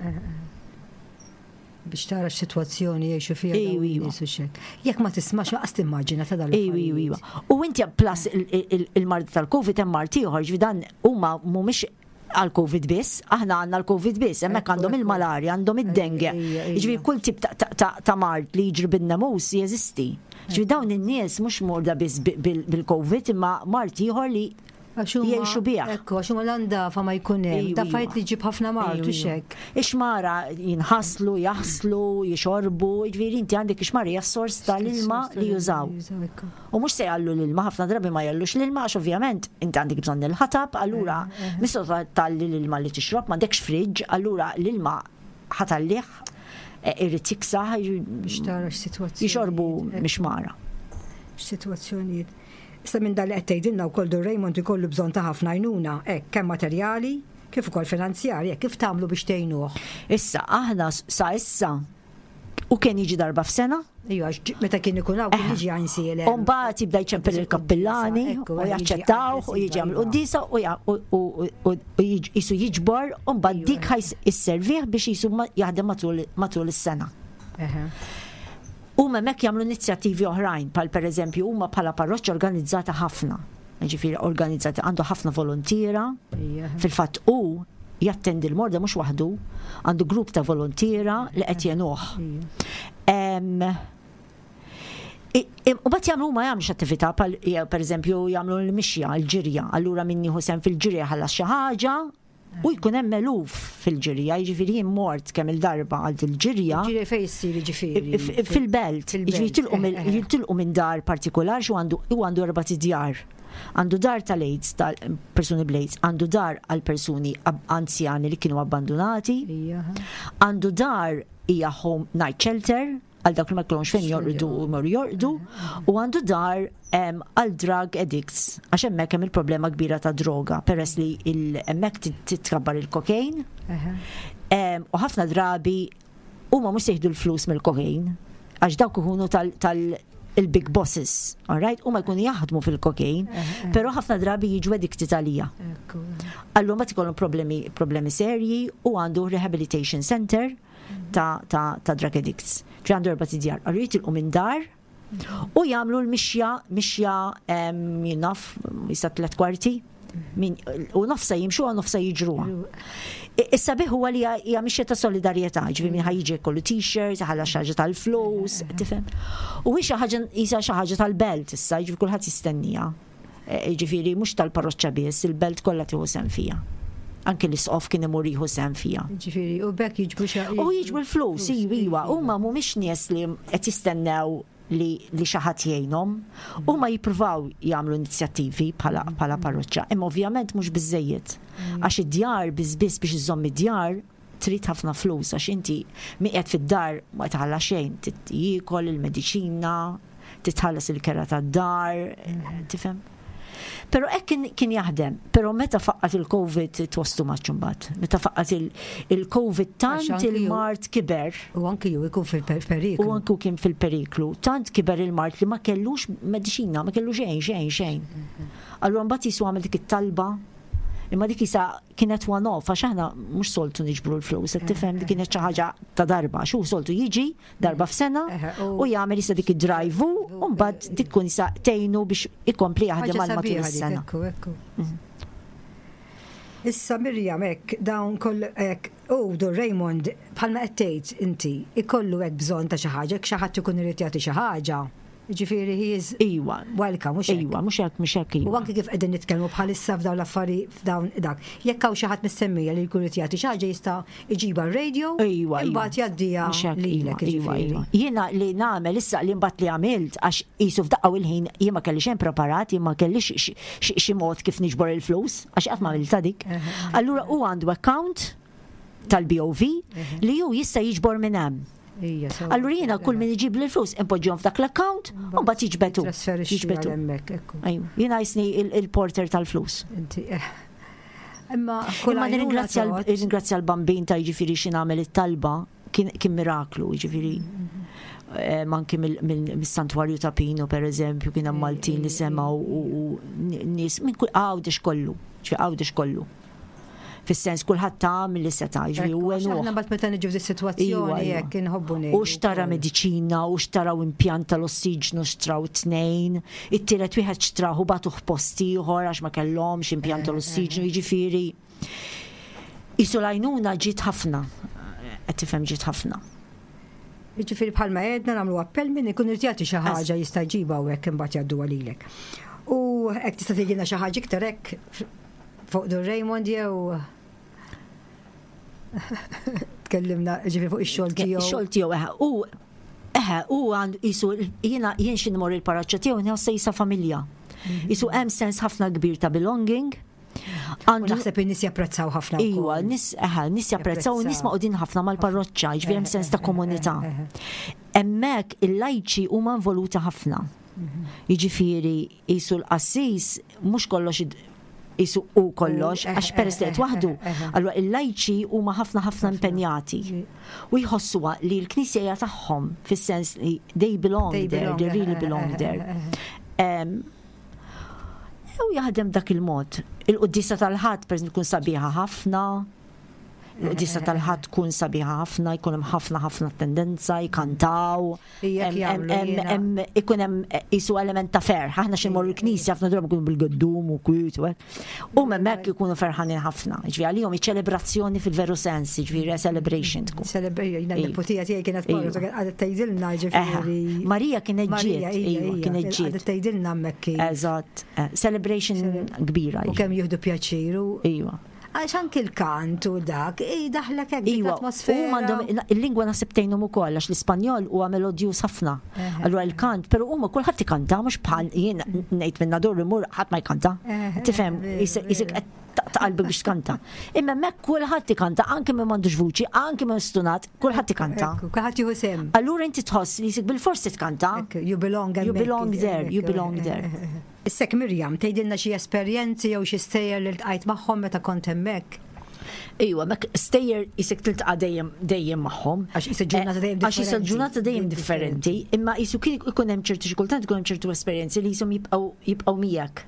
Biex tara x-sitwazzjoni jgħixu fiha Ejju, dawn iva. in-nies u xek. Jekk ma tismax lanqas timmaġina ta' dal. Ejju, ejju, ejju. U inti plus il-mard tal-Covid, hemm mard ieħor, ġifieri dan huma mhumiex għal-Covid biss, aħna għandna l-Covid biss, hemmhekk Ekku, għandhom ekku. il-malarja, għandhom id-dengue. Ejja, ejja. Ġifieri kull tip ta'- ta' ta' ta' mard li jiġri bin-nemus jeżisti. Ġifieri dawn in-nies mhux morda biss bi- bil- bil-Covid imma mard ieħor li jgħixu bih. Ekku, għax huma l-andafa ma jkun hemm. Ejju, Da fajt li ġib ħafna mard u Ejju, xek. Ix-xmara jinħaslu, jaħslu, jixorbu, ġifieri inti għandek ix-xmara hija s-sors tal-ilma li jużaw. U mhux se jgħallu l-ilma, ħafna drabi ma jgħallux l-ilma, għax ovvjament inti għandek bżonn il-ħatab, allura misto tgħalli l-ilma li tixrob, m'għandekx fridge, allura l-ilma ħa tgħallih, eh, irid jiksaħ, Biex tara x-sitwazzjoni. jixorbu mix-xmara. X'sitwazzjonijiet. Issa minn dan li qed tgħidilna wkoll, Dun Raymond ikollu bżonn ta' ħafna għajnuna, hekk, kemm materjali kif ukoll finanzjarji, hekk, kif tagħmlu biex tgħinuh? Issa, aħna sa issa, u kien jiġi darba f'sena, Ejju, għax meta kien ikun hawn kien jiġi Għajnsielem. U mbagħad jibda jċempel il-kappillani Ekku, u jiġi jaċċettaw u jiġi jagħmel quddiesa u ja- u- u- u- u jiġ- jisu jiġbor u mbagħad dik ħa sservih biex jisu ma- jaħdem matul matul is-sena. Eħe. U hemmhekk jagħmlu inizjattivi oħrajn, bħal pereżempju huma bħala parroċċa organizzata ħafna. Ġifieri organizzata, għandu ħafna volontiera. Ija. Fil-fatt u jattendi l-morda mhux waħdu, għandu grupp ta' volontiera li qed jgħinuh. Em, i- i- U mbagħad jagħmlu, ma jagħmlux attività pal jew pereżempju jagħmlu l-mixja, l-ġirja. Allura min jieħu sehem fil-ġirja ħallas xi ħaġa. U jkun hemm eluf fil-ġirja, jiġifieri jien mort kemm il-darba għal il-ġirja. Ġirja fejn issir jiġifieri? Fil-belt, jiġifieri jitilqu mill- eh, eh. jitilqu minn dar partikolar xu għandu u għandu erba' djar. Għandu dar tal-AIDS, tal-persuni bl-AIDS, għandu dar għal persuni ab- anzjani li kienu abbandonati, Ija. għandu dar hija home night shelter għal dawk li ma jkollhomx fejn jorqdu u jmorru jorqdu, u għandu dar em, għal drug addicts, għax hemmhekk hemm il-problema kbira ta' droga, peress li il- hemmhekk tit- titkabbar il-kokain, Eħe. em, u ħafna drabi huma mhux se jieħdu l-flus mill-kokain, għax dawk ikunu tal, tal il-big bosses, all right? Huma jkunu jaħdmu fil-kokain, però ħafna drabi jiġu addicted għalija. Ekku. Allura ma ikollhom problemi, problemi serji u għandu rehabilitation center ta', ta, ta' drug addicts. Ġi għandu erba' djar. Allura jitilqu minn dar u jagħmlu l-mixja, mixja em, jien naf, jista' tliet kwarti, min, u nofsa jimxu u nofsa jiġruha. I- Issa biħ huwa li hija- hija mixja ta' solidarjetà, ġifieri min ħa jiġi kollu t-shirts, ħalla xi ħaġa tal-flus, tifhem. U hi xi ħaġa isa xi ħaġa tal-belt issa, ġifieri kulħadd jistennija. E, Ġifieri mhux tal-parroċċa biss, il-belt kollha tieħu sehem fiha. Anki l-isqof kien imur jieħu sehem fiha. Ġifieri, u bekk jiġbru xa. U jiġbu l-flus, iva, iva, huma mhumiex nies li qed jistennew li, li xi ħadd jgħinhom, huma jippruvaw jagħmlu inizjattivi bħala bħala parroċċa, imma ovvjament mhux biżejjed. Għax id-djar biss biss biex iżomm id-djar trid ħafna flus għax inti min qiegħed fid-dar ma tħalla xejn, trid jiekol il-mediċina, titħallas il-kera tad-dar, tifhem? Pero hekk kien, kien jaħdem, pero meta faqqat il-Covid it was too much imbagħad. Meta faqqat il- il-Covid tant Għax anki ju- il-mard kiber U anki ju ikun fil-periklu. u anku kien fil-periklu, tant kiber il-mard li ma kellux mediċina, ma kellu xejn, xejn, xejn. Allura mbagħad jisu għamel dik it-talba, imma dik isa kienet one off, għax aħna mhux soltu niġbru l-flus, qed tifhem dik kienet xi ħaġa ta' darba, xu soltu jiġi darba f'sena Eħe, u- u jagħmel issa dik id-drive u mbagħad dik tkun isa tgħinu biex ikompli jaħdem Ħaġa għal matul sabiħa dik, is-sena. Ekku, ekku. Issa Mirjam, hekk, dawn koll hekk, u Dun Raymond, bħalma qed tgħid inti, ikollu hekk bżonn ta' xi ħaġa, jekk xi ħadd ikun irid jagħti xi ħaġa. Ġifieri he is Iwa, welcome, mhux hekk. iwa, mhux hekk, mhux hekk U iwa. anki kif qegħdin nitkellmu bħalissa f'dawn l-affari f'dawn dak. Jekk hawn xi ħadd mis-semmija li jkun irid jagħti xi ħaġa jista' iġibha r-radio, Iwa, iwa. imbagħad jgħaddiha Mhux hekk, lilek iwa, iwa, jiġifieri. iwa. Jiena li nagħmel issa li mbagħad li għamilt għax qisu f'daqqa u l-ħin jien ma kelli xejn preparat, jien ma kellix xi- xi xi mod kif niġbor il-flus, għax qatt ma għamilta dik. Allura u għandu account tal-B O V li ju jista' jiġbor minn hemm. Ija, so- Allura jiena kull min iġib li l-flus impoġġihom f'dak l-account u mbagħad jiġbetu. Trasferixxi Jiġbetu. għal hemmhekk, ekku. Ajju, jiena jisni il- il-porter tal-flus. Inti, eh. Imma kull Imma għajnuna nirringrazzja l- tgħod. nirringrazzja l-bambin ta' jiġifieri xi nagħmel it-talba kien kien miraklu, jiġifieri. Eh, Manki mill-santwarju ta' Pino, per eżempju, kien hemm Maltin li semgħu u u nies minn kull Għawdex kollu, ġifieri Għawdex kollu. Fis-sens kulħadd ta' mill-li seta' jiġifieri u Ekku, għax għenuh. Aħna mbagħad meta niġu f'di Iwa, sitwazzjoni iwa. hekk inħobbu ngħidu. U xtara mediċina, u xtaraw impjant tal-ossiġnu, xtraw tnejn, it-tielet wieħed xtraw u bagħtuh post ieħor għax ma kellhomx impjant tal-ossiġnu, jiġifieri. Isu l-għajnuna ġiet ħafna, qed tifhem, ġiet ħafna. Jiġifieri bħalma għedna nagħmlu appell min ikun irid jagħti xi ħaġa jista' jġibha u hekk imbagħad jgħadduha lilek. U hekk tista' tgħidilna xi ħaġa iktar hekk fuq Dun Raymond jew tkellimna ġifieri fuq ix-xogħol tiegħu. Ix-xogħol tiegħu eħe, u eħe, u għandu jisu jiena jien xi nmur il-parroċċa tiegħu nħossa jisa familja. Jisu hemm sens ħafna kbir ta' belonging. U Għandu naħseb in-nies japprezzaw ħafna Iwa, wkoll. nis, eħe, nis japprezzaw, nis Japprezzaw. maqudin ħafna mal-parroċċa, ġifieri hemm sens ta' komunità. Hemmhekk il-lajċi huma involuti ħafna. Jiġifieri jisu l-qassis mhux kollox id- jisu u kollox, U, għax peress li qed waħdu. Allura il-lajċi huma ħafna ħafna impenjati. U jħossuha li l-knisja hija tagħhom fis-sens li they belong They there, belong, they really eh, belong eh, there. eh, eh. Em, U jaħdem dak il-mod. Il-quddisa tal-Ħadd, per tkun sabiħa ħafna. Il-quddisa tal-Ħadd tkun sabiħa ħafna, jkun hemm ħafna ħafna tendenza, jkantaw. Ija, Em- jagħmlu em- jiena. em- Ikun hemm isu element ta' ferħ. Aħna xi mmorru l-knisja ħafna drabi nkunu bil-gaddum u kwiet u hekk. U hemmhekk ikunu ferħanin ħafna. Ġifieri għalihom iċ-ċelebrazzjoni fil-veru sens, ġifieri celebration tkun. Celebration, jiena Iva. n-neputija tiegħi kienet Iva. marru, għadet tgħidilna Eħe. ġifieri. Marija kienet Marija, ġiet, ija, iva, ija, kienet Għadet ġiet. tgħidilna hemmhekk kif. Eżatt, eh, celebration kbira. U kemm jieħdu pjaċir u Iva. Għax anki l-kant u dak, daħlek hekk Iwa, l-atmosfera. U għandhom il-lingwa naħseb tgħinhom ukoll għax l-Ispanjol huwa melodjuż ħafna. Allura il-kant, però huma kulħadd ikanta mhux bħal jien ngħid minn Nadur imur ħadd ma jkanta. Tifhem, isek qed taqalbi biex tkanta. Imma hemmhekk kulħadd ikanta, anke min m'għandux vuċi, anke min stunat, kulħadd ikanta. Kulħadd jieħu sehem. Allura inti tħoss li jisik bil-forsi tkanta. You belong You belong there, you belong there. Issek Mirjam, tgħidilna xi esperjenzi jew xi stejjer li ltqajt magħhom meta kont hemmhekk. Iwa, mek stejjer jisek tiltaqa' dejjem dejjem magħhom. Għax jisa ġurnata dejjem Għax jisa ġurnata dejjem differenti, imma jisu kien ikun hemm ċertu xi kultant ikun hemm ċertu esperjenzi li jisom jibqgħu jibqgħu miegħek.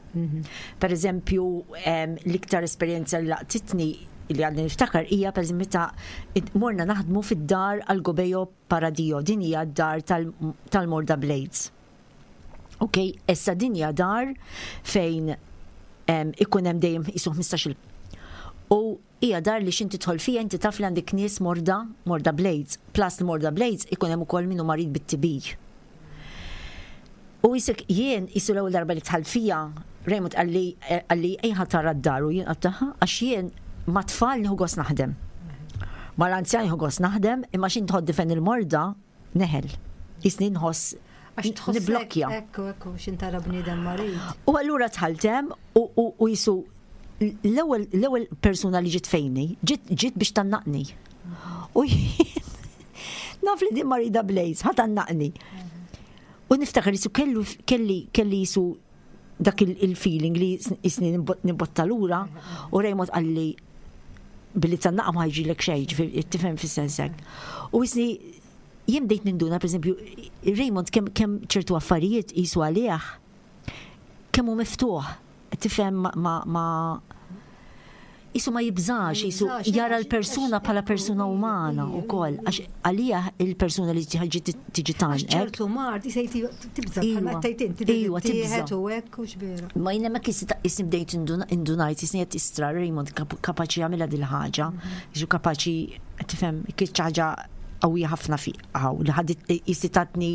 Per eżempju, l-iktar esperjenza li laqtitni li għadni niftakar hija per eżempju meta morna naħdmu fid-dar għal Gobejo Paradio, din hija d-dar tal-Morda bl-AIDS. Ok, issa din hija dar fejn ikun hemm dejjem jisu ħmistax-il. U hija dar li x'inti tidħol fija inti taf li għandek nies morda, morda bl-AIDS. Plus morda bl-AIDS ikun hemm ukoll minnu marid bit-T B. U jisek jien jisu l-ewwel darba li dħalt fija, Raymond qalli qalli ejja tara d-dar u jien għedtilha għax jien ma tfal nieħu gost naħdem. Ma l-anzjan nieħu gost naħdem, imma xin tħod difen il-morda neħel. Jisni nħoss Għax niblokkja. Ekku, ekku, xin tara bniedem marid. U allura dħalt hemm u jisu l-ewwel l-ewwel persuna li ġiet fejni, ġiet ġiet biex tgħannaqni. U jien naf li din marida bl-AIDS, ħa tgħannaqni. U niftakar jisu kellu kelli kelli jisu dak il-feeling li jisni nimbotta lura u Raymond qalli billi tgħannaqa ma ħajġilek xejn, tifhem fis-sensek. U jisni jien bdejt ninduna, per eżempju, Raymond kemm kem ċertu affarijiet jisu għalih, kemm hu miftuħ, tifhem, ma ma jisu ma jibżax, jisu jara l-persuna bħala persuna umana u koll. Għax għalija il-persuna li tiġi tiġi tgħannqek. Ċertu mard, jisejti tibża, bħalma tgħid inti. Iwa, tibża. U hekk u xbira. Ma jina ma jisni bdejt indunajt, jisni qed istra Raymond kapaċi jagħmilha dil-ħaġa, jisu kapaċi, tifhem, kien ħaġa qawwija ħafna fi għaw, li ħadet jisni tatni.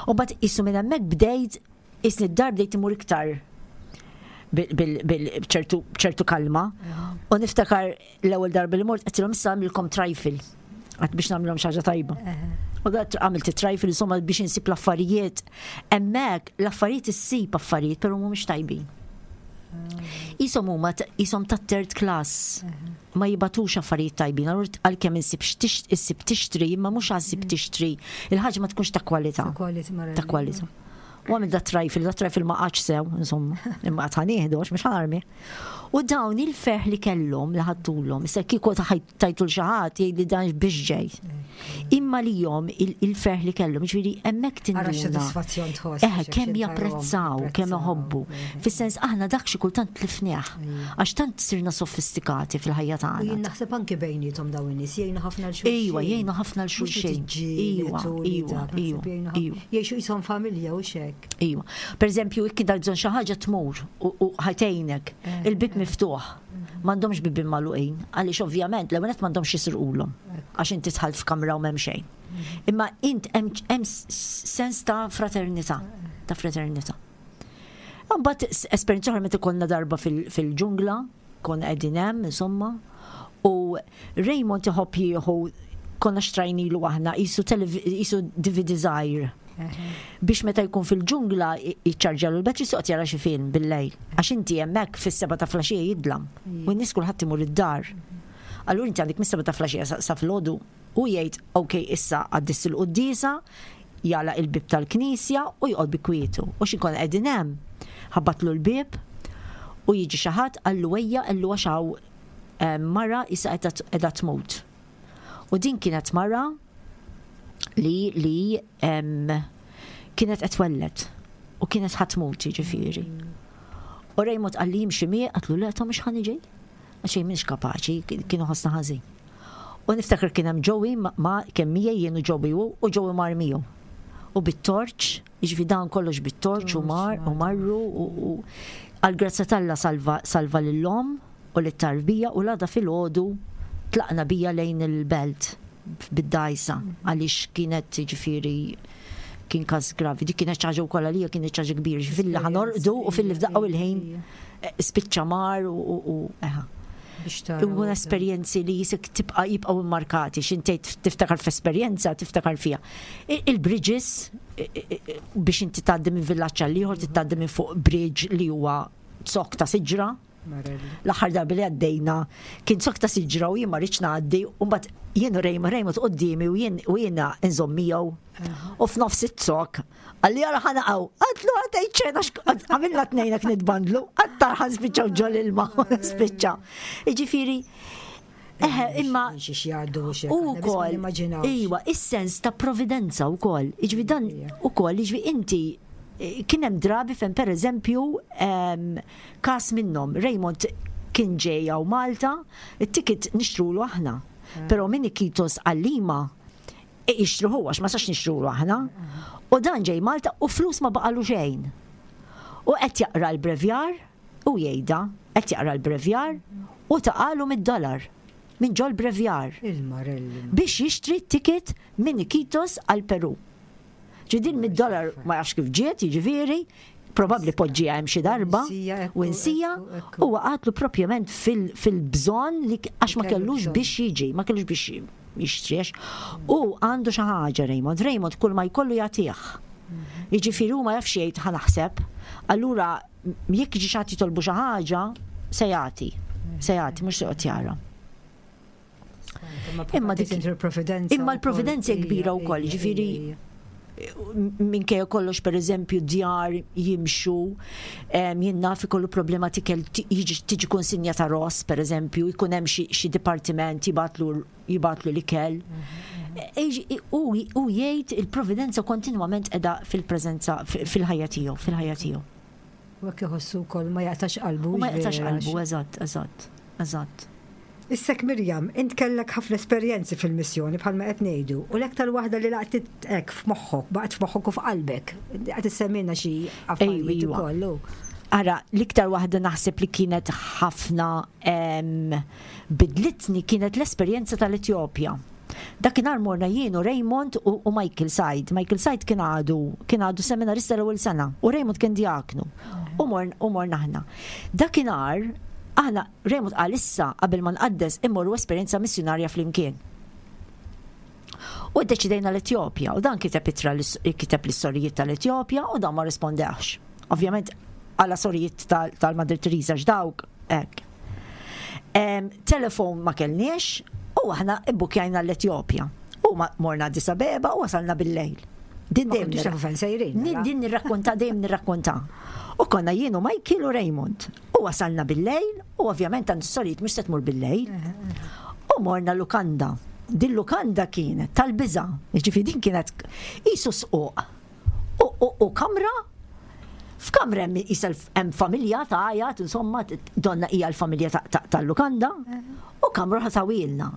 U bat jisu minn hemmhekk bdejt, jisni d-dar bdejt imur iktar ċertu kalma. U niftakar l-ewwel darba li mort għedtilhom issa nagħmlilkom trifle. Għedt biex nagħmilhom xi ħaġa tajba. U dat għamilt trifle insomma biex insib l-affarijiet. Hemmhekk l-affarijiet issib affarijiet, però mhumiex tajbin. Isom huma isom ta' third class. Ma jibatux affarijiet tajbin, allura għalkemm insib issib tixtri, imma mhux għasib tixtri. Il-ħaġa ma tkunx ta' kwalità. Ta' kwalità. U għamil da trifle, da trifle ma qagħadx sew, insomma, imma għad ħa nieħdu, għax mhux ħa narmi. U dawn il-ferħ li kellhom li ħadtulhom, issa kieku tajtu 'l xi ħadd jgħid li dan biex ġej. Imma li jom il-ferħ li kellhom, ġifieri hemmhekk Ara tinduna. X'sodisfazzjon tħoss. Eh, kemm japprezzaw, kemm iħobbu. Fis-sens aħna dak xi kultant tlifnieh. Għax tant sirna sofistikati fil-ħajja U tagħna. jien naħseb anke bejnietom dawn in-nies jgħinu ħafna 'l xulxin. Iwa, jgħinu ħafna 'l xulxin. Iwa, iwa, iwa, iwa. Jgħixu jisom familja u xek. Iwa. Per eżempju, ikki dar bżonn xi ħaġa tmur u u ħa tgħinek. Il-bib miftuħ. M'għandhomx bibien magħluqin, għaliex ovvjament l-ewwel nett m'għandhomx jisirqulhom. Għax inti dħalt f'kamra u m'hemm xejn. Imma int hemm hemm sens ta' fraternità, ta' fraternità. Mbagħad esperjenza oħra meta konna darba fil- fil-ġungla, konna qegħdin hemm, insomma, u Raymond iħobb jieħu konna xtrajnilu aħna jisu jisu D V D żgħir biex meta jkun fil-ġungla jiċċarġjalu l-battery soqt jara xi film bil-lejl. Għax inti hemmhekk fis-seba ta' filgħaxija jidlam. U n-nies kulħadd imur id-dar. Allura inti għandek mis-seba ta' filgħaxija sa- sa filgħodu u jgħid ok issa għaddis il-quddiesa, jagħlaq il-bib tal-knisja u joqgħod bi kwietu. U xi konna qegħdin hemm, ħabbatlu l-bib u jiġi xi ħadd qallu ejja qallu għax hawn eh, mara issa qiegħda tmut. U din kienet mara li li em, kienet qed twelled u kienet ħa tmut ġifieri. U Raymond qalli jimxi miegħi, għedtlu le ta' mhux ħa niġi. Għax jien m'iniex kapaċi, kienu ħossna ħażin. U niftakar kien hemm Joey ma- ma kemm miegħi jien u Joey u u Joey mar miegħu. U bit-torċ, jiġifieri dan kollox bit-torċ u mar u marru u u għal-grazzja t'Alla salva salva lil-omm u lit-tarbija u l-għada filgħodu tlaqna bija lejn il-belt bid-dgħajsa għaliex kienet ġifieri kien każ gravi. Dik kienet ħaġa wkoll għalija kienet ħaġa kbira. Filli ħa norqdu u filli f'daqqa u l-ħin eh, spiċċa mar u u eħa. U esperjenzi li jisek tibqa' jibqgħu immarkati, x'intejt tiftakar f'esperjenza, tiftakar fiha. Il-bridges, biex inti tgħaddi minn villaġġ għal ieħor, tgħaddi minn fuq bridge li huwa zokk ta' siġra. L-aħħar darba li għaddejna kien zokk ta' siġra u jien ma rridx ngħaddi u mbagħad jien u Raymond, Raymond quddiemi u jien u jiena nżomm miegħu. U f'nofs iz-zokk qalli ara ħa naqgħu, għedtlu għatej ċena għamilna tnejna nitbandlu, għattar ħa nispiċċaw ġol-ilma, spiċċa. Jiġifieri, eħe, imma u wkoll, iwa, is-sens ta' providenza wkoll. Jiġifieri dan ukoll, jiġifieri inti kien hemm drabi fejn per eżempju każ minnhom Raymond kien ġej hawn Malta, it-ticket nixtrulu aħna. Però minn Iquitos għal Lima jixtruhu għax ma sax nixtrulu aħna. U dan ġej Malta u flus ma baqalu xejn. U qed jaqra l-brevjar u jgħidha, qed jaqra l-brevjar u taqagħlu mitt dollar minn ġol brevjar. Biex jixtri ticket minn Iquitos għal Peru. Ġidin mitt dollar ma jafx kif ġiet, jiġifieri, probabbli poġġiha hemm xi darba u nsija u waqgħatlu propjament fil-bżonn li għax ma kellux biex jiġi, ma kellux biex jixtriex. U għandu xi ħaġa Raymond, Raymond kull ma jkollu jagħtih. Jiġifieri hu ma jafx jgħid ħa naħseb. Allura jekk jiġi xi ħadd jitolbu xi ħaġa, se jagħti. Se jagħti, mhux se joqgħod jara. Imma dik il-providenza. Imma l-providenza kbira wkoll, jiġifieri minkejja kollox per eżempju djar jimxu, jien naf ikollu problema tikel tiġi konsinja ta' ross per eżempju, jkun hemm xi dipartiment jibgħatlu jibgħatlu l-ikel. U jgħid il-providenza kontinwament qiegħda fil-preżenza fil-ħajja tiegħu, fil-ħajja tiegħu. U hekk iħossu wkoll ma jaqtax qalbu. U ma jaqtax qalbu, eżatt, eżatt, eżatt. Issek Mirjam, int kellek ħafna esperjenzi fil-missjoni bħalma qed ngħidu, u l-aktar waħda li laqtit hekk f'moħħok, baqgħet f'moħħok u f'qalbek. Qed issemmilna xi affarijiet ukoll. Ara, l-iktar waħda naħseb li kienet ħafna bidlitni kienet l-esperjenza tal-Etjopja. Dakinhar morna jien u Raymond u, u Michael Said. Michael Said kien għadu kien għadu seminarista l-ewwel sena u Raymond kien diaknu. U morna u morna aħna. Dakinhar aħna Raymond qal issa qabel ma nqaddes immorru esperjenza missjonarja flimkien. U ddeċidejna l-Etjopja u dan kiteb ittra kiteb l-istorijiet tal-Etjopja u dan ma rispondex. Ovvjament għala sorijiet tal-Mother Teresa x'dawk hekk. Telefon ma kellniex u aħna ibbukjajna l-Etjopja. U morna Addis Abeba u wasalna bil-lejl. Din dejjem Din nirrakkonta dejjem nirrakkonta. U konna jien u Michael u Raymond. U wasalna bil-lejl u ovvjament għand sorijiet mhux se tmur bil-lejl. U morna lukanda. Din lukanda kienet tal-biża'. Jiġifieri din kienet qisu squq. U kamra f'kamra hemm qisha hemm familja ta' għajat, insomma, donna hija l-familja tal-lukanda, u kamra ħasawilna.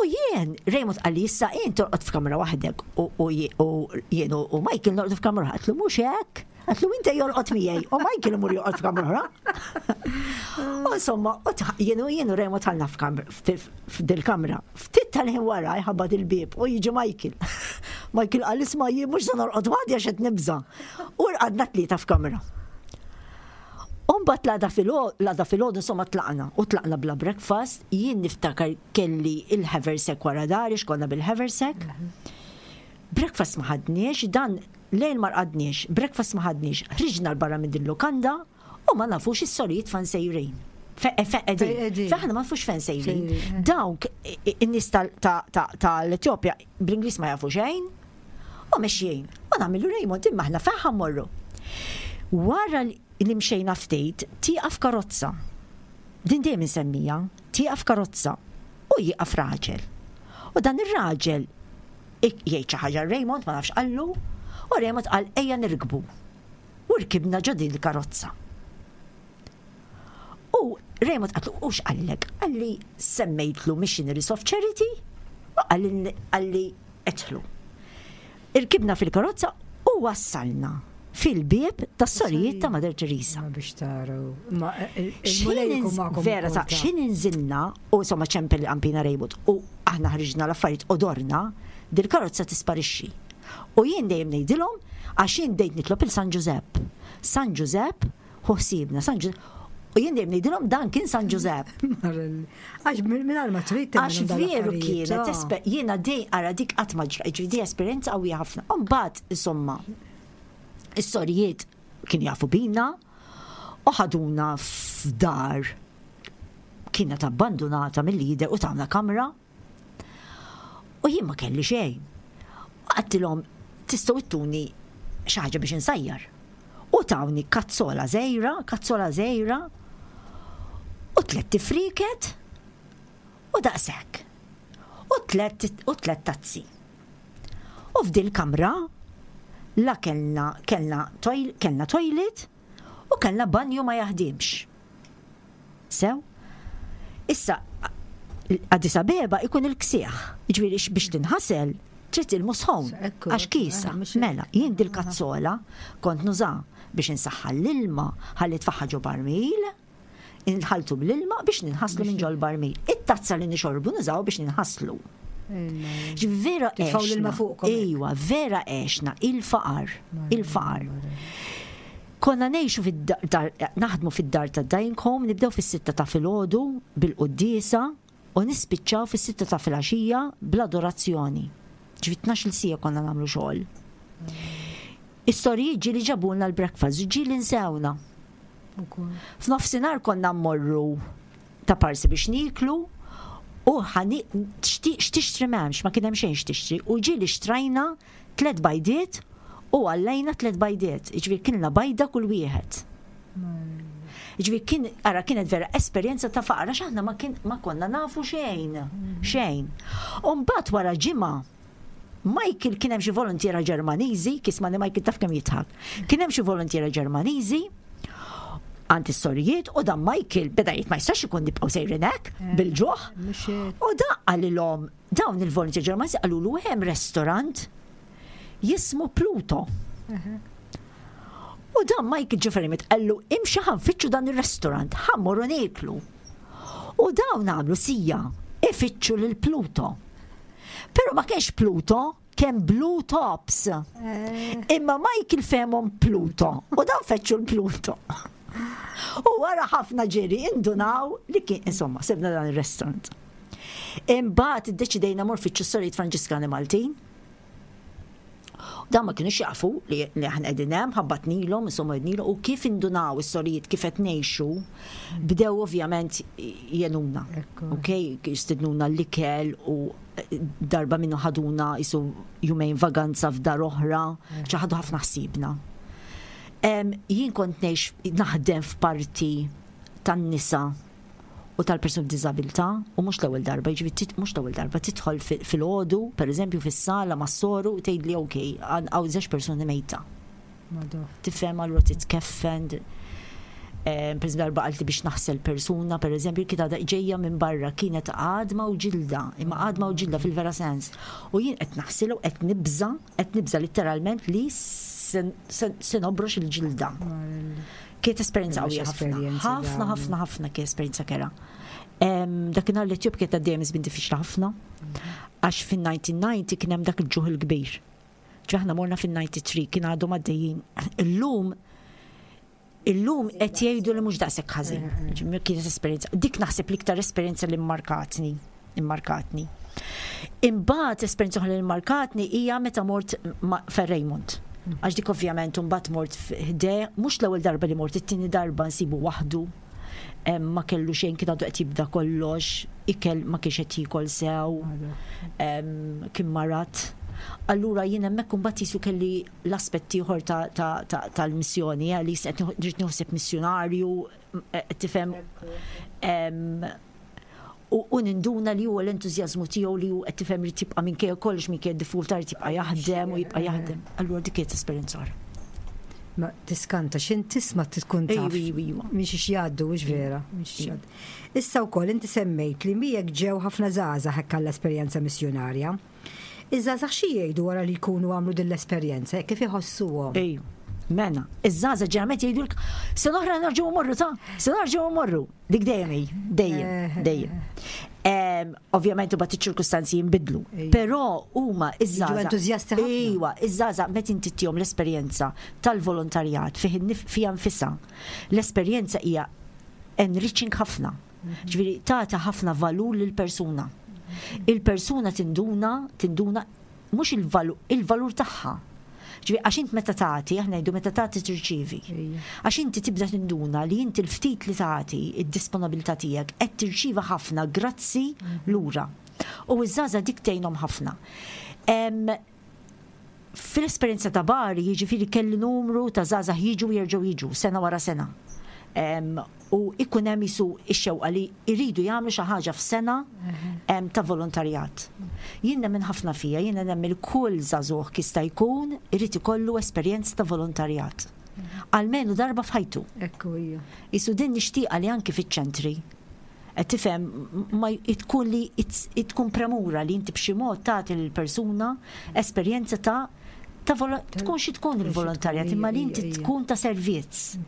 U jien, Raymond qalli issa jien torqod f'kamra waħdek u jien u Michael norqod f'kamra għedtlu mhux hekk. Għedtlu inti jorqod miegħi u Michael imur jorqod f'kamra oħra. U insomma, jien u jien u Raymond ħalna f'dil-kamra. Ftit tal-ħin wara jħabbat il-bieb u jiġi Michael. Michael qal isma' jien mhux se norqod waħdi għax qed nibża'. U rqadna tlieta f'kamra. Umbat l-għada filgħodu insomma tlaqna u tlaqna bla breakfast, jien niftakar kelli il-haversack wara dari, x'konna bil-haversack. Breakfast ma ħadniex, dan lejl ma rqadniex, breakfast ma ħadniex, ħriġna l-barra minn din lukanda u ma nafux is-sorijiet fejn sejrin. Fejn aħna ma nafux fejn sejrin. Dawk in-nies tal-Etjopja bl-Ingliż ma jafu xejn u mexjin. U nagħmlu Raymond imma aħna fejn ħa mmorru. Wara li mxejna ftit, tieqaf karozza. Din dejjem insemmija, tieqaf karozza u jieqaf raġel. U dan ir-raġel jgħid xi ħaġa Raymond ma nafx qallu, u Raymond qal ejja nirkbu. U rkibna ġo din il-karozza. U Raymond qallu u x'qallek? Qalli semmejtlu Missionaries of Charity u qalli idħlu. Irkibna fil-karozza u wassalna fil-bieb tas-sorijiet ta' Mother Teresa. Biex taraw. Vera ta' x'ħin inżilna u insomma ċempel il-qampina Raymond u aħna ħriġna l-affarijiet u dorna, dil-karozza tisparixxi. U jien dejjem ngħidilhom għax jien dejt nitlob il San Ġużepp. San Ġużepp ħu ħsiebna, San Ġużepp. U jien dejjem ngħidilhom dan kien San Ġużepp. Għax minn ma trid Għax veru kienet, jiena dej ara dik qatt ma ġra, ġifieri esperjenza qawwija ħafna. U mbagħad insomma, is-sorijiet kienu jafu bina u ħaduna f'dar kienet abbandonata mill-lider u tawna kamra u jien ma kelli xejn. U għedtilhom tistgħu ttuni xi ħaġa biex insajjar. U tawni kazzola żgħira, kazzola żgħira u tliet friket u daqshekk. U tliet u tliet tazzi. U f'dil kamra la kellna kellna toil, kellna toilet u kellna banju ma jaħdimx. Sew? Issa, Addis Abeba ikun il-ksieħ, ġifieri biex tinħasel, trid ilma sħon, għax kiesa. Mela, jien dil-kazzola kont nuża biex insaħħan l-ilma, ħalli tfaħħa ġo barmil, inħaltu bl-ilma biex ninħaslu minn ġol barmil. It-tazza li nixorbu nużaw biex ninħaslu. Vera għexna. Ejwa, vera għexna il-faqar, il-faqar. Konna ngħixu fid-dar, naħdmu fid-dar ta' Dying Home, nibdew fis-sitta ta' filgħodu bil-quddiesa u nispiċċaw fis-sitta ta' filgħaxija bl-adorazzjoni. Ġifieri tnax-il siegħa konna nagħmlu xogħol. Is-sorijiet ġieli ġabulna l-breakfast, ġieli nsewna. F'nofsinhar konna mmorru ta' parsi biex niklu u ħani x'tixtri m'hemmx, ma kien hemm xejn x'tixtri u ġieli xtrajna tliet bajdiet u għallejna tliet bajdiet, ġifieri kilna bajda kull wieħed. Ġifieri kien, ara kienet vera esperjenza ta' faqar, għax aħna ma, kien, ma konna nafu xejn, xejn. U mbagħad wara ġimgħa Michael kien hemm xi volontiera Ġermaniżi, kismani Michael taf kemm jidħak. Kien hemm xi volontiera Ġermaniżi għand is-sorijiet u dan Michael beda jgħid ma jistax ikun nibqgħu sejrin hekk bil-ġuħ. U da qalilhom dawn il-volontier Ġermaniżi qalulu hemm restaurant jismu Pluto. U dan Michael Ġiferimit qallu imxi ħa nfittxu dan il-restaurant, ħa mmorru nieklu. U dawn għamlu siegħa ifittxu lil Pluto. Pero ma kienx Pluto, kien Blue Tops. Imma Michael fehmhom Pluto. U dan fettxu l-Pluto. U wara ħafna ġiri indunaw li kien, insomma, sibna dan il-restaurant. Imbagħad iddeċidejna mmorru nfittxu s-sorijiet Franġiskani Maltin. Dan ma kienux jafu li li aħna qegħdin hemm, ħabbatnilhom, insomma għednilhom, u kif indunaw is-sorijiet kif qed ngħixu, bdew ovvjament jgħinuna. Ok, jistidnuna l-ikel u darba minnu ħaduna jisu jumejn vaganza f'dar oħra, ħadu ħafna ħsibna. Jien kont ngħix naħdem f'parti tan-nisa u tal-persuni b'diżabilità u mhux l-ewwel darba, jiġifieri mhux l-ewwel darba tidħol fil-għodu, pereżempju fis-sala mas-soru u tgħidli ok, hawn żewġ persuni mejta. Tifhem allura titkeffen. Per eżempju darba qaltli biex naħsel persuna, per eżempju, kien għadha ġejja minn barra, kienet għadma u ġilda, imma għadma u ġilda fil-vera sens. U jien qed naħsilha u qed nibża, qed nibża letteralment li se nobrox il-ġilda. Kienet esperjenza qawwija ħafna. Ħafna, ħafna, ħafna kienet esperjenza kerha. Dakinhar l-Etjopja kienet għaddejja minn żmien diffiċli ħafna. Għax fin-nineteen ninety kien hemm dak il-ġuħ il-kbir. Aħna morna fin-ninety-three kien għadhom għaddejjin. Illum illum qed jgħidu li mhux daqshekk ħażin. Kienet esperjenza. Dik naħseb l-iktar esperjenza li mmarkatni, immarkatni. Imbagħad esperjenza oħra li mmarkatni hija meta mort Fer Raymond. Għax dik ovvjament imbagħad mort ħdejh, mhux l-ewwel darba li mort, it-tieni darba nsibu waħdu. Ma kellu xejn, kien għadu qed jibda kollox, ikel ma kienx qed jiekol sew, kien marat. Allura jien hemmhekk imbagħad jisu kelli l-aspett ieħor tal-missjoni, li qed rrid naħseb missjonarju, tifhem, u ninduna li huwa l-entużjażmu tiegħu li hu qed tifhem li tibqa' minkejja kollox, minkejja d-diffikultà li tibqa' jaħdem u jibqa' jaħdem. Allura dik kienet esperjenza oħra. Ma tiskanta x'in tisma' tkun taf. Minn xiex jgħaddu, mhux vera. Issa wkoll inti semmejt li miegħek ġew ħafna żgħażagħ hekk għall-esperjenza missjonarja. Iż-żgħażagħ xi jgħidu wara li jkunu għamlu din l-esperjenza, kif iħossuhom? Ejju. Mena, iż-żgħażagħ ġeneralment jgħidulek sena oħra nerġgħu mmorru ta' sena nerġgħu mmorru. Dik dejjem hi, dejjem, dejjem. Ovvjament imbagħad iċ-ċirkustanzi jinbidlu. Però huma iż-żgħażagħ. Entużjasti ħafna. Ejwa, iż-żgħażagħ meta inti ttihom l-esperjenza tal-volontarjat fih fiha nfisha. L-esperjenza hija enriching ħafna. Ġifieri tagħti ħafna valur lil persuna. Il-persuna tinduna, tinduna mhux il-valur, il-valur tagħha. Ġifieri għax int meta tagħti, aħna ngħidu meta tagħti tirċievi. Għax inti tibda tinduna li inti l-ftit li tagħti, id-disponibilità tiegħek qed tirċieva ħafna grazzi lura. U iż-żgħażagħ dik tgħinhom ħafna. Fil-esperjenza ta' Bari, jiġifieri kelli numru ta' żgħażagħ jiġu, jerġgħu jiġu sena wara sena. U ikun hemm jisu x-xewqa li jridu jagħmlu xi ħaġa f'sena ta' volontarjat. Jien nemmen ħafna fija, jien nemmen kull żagħżugħ jista' jkun irid ikollu esperjenza ta' volontarjat. Almenu darba f'ħajtu. Ekku hija. Isu din nixtieqa li anki fiċ-ċentri. Qed tifhem, ma tkun li tkun premura li inti b'xi mod tagħti lill-persuna esperjenza ta' ta' tkun xi tkun il-volontarjat, imma li inti tkun ta' servizz.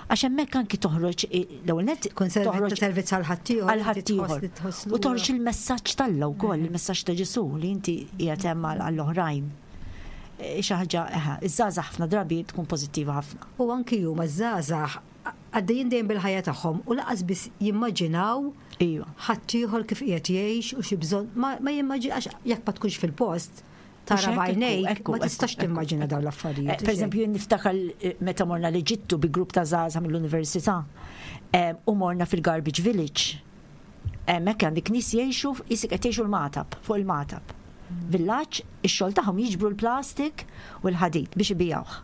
Għax hemmhekk anki toħroġ l-ewwel nett toħroġ servizz għal ħaddieħor. Għal ħaddieħor. U toħroġ il-messaġġ t'Alla wkoll, il-messaġġ ta' Ġesù li inti qiegħed hemm għall-oħrajn. Xi ħaġa, iż-żgħażagħ ħafna drabi tkun pożittiva ħafna. U anki huma żgħażagħ għaddejjin dejjem bil-ħajja tagħhom u lanqas biss jimmaġinaw Iva. ħaddieħor kif qiegħed jgħix u xi bżonn, ma jimmaġina għax jekk ma tkunx fil-post tara b'għajnejk ma tistax timmaġina dawn l-affarijiet. Per eżempju, jien niftakar meta morna l-Eġittu bi grupp ta' żgħażagħ mill-università u morna fil-Garbage Village. Hemmhekk għandek nies jgħixu isik qed jgħixu l-Magħtab, fuq il-Magħtab. Villaġġ, ix-xogħol tagħhom jiġbru l-plastik u l-ħadid biex ibijawh.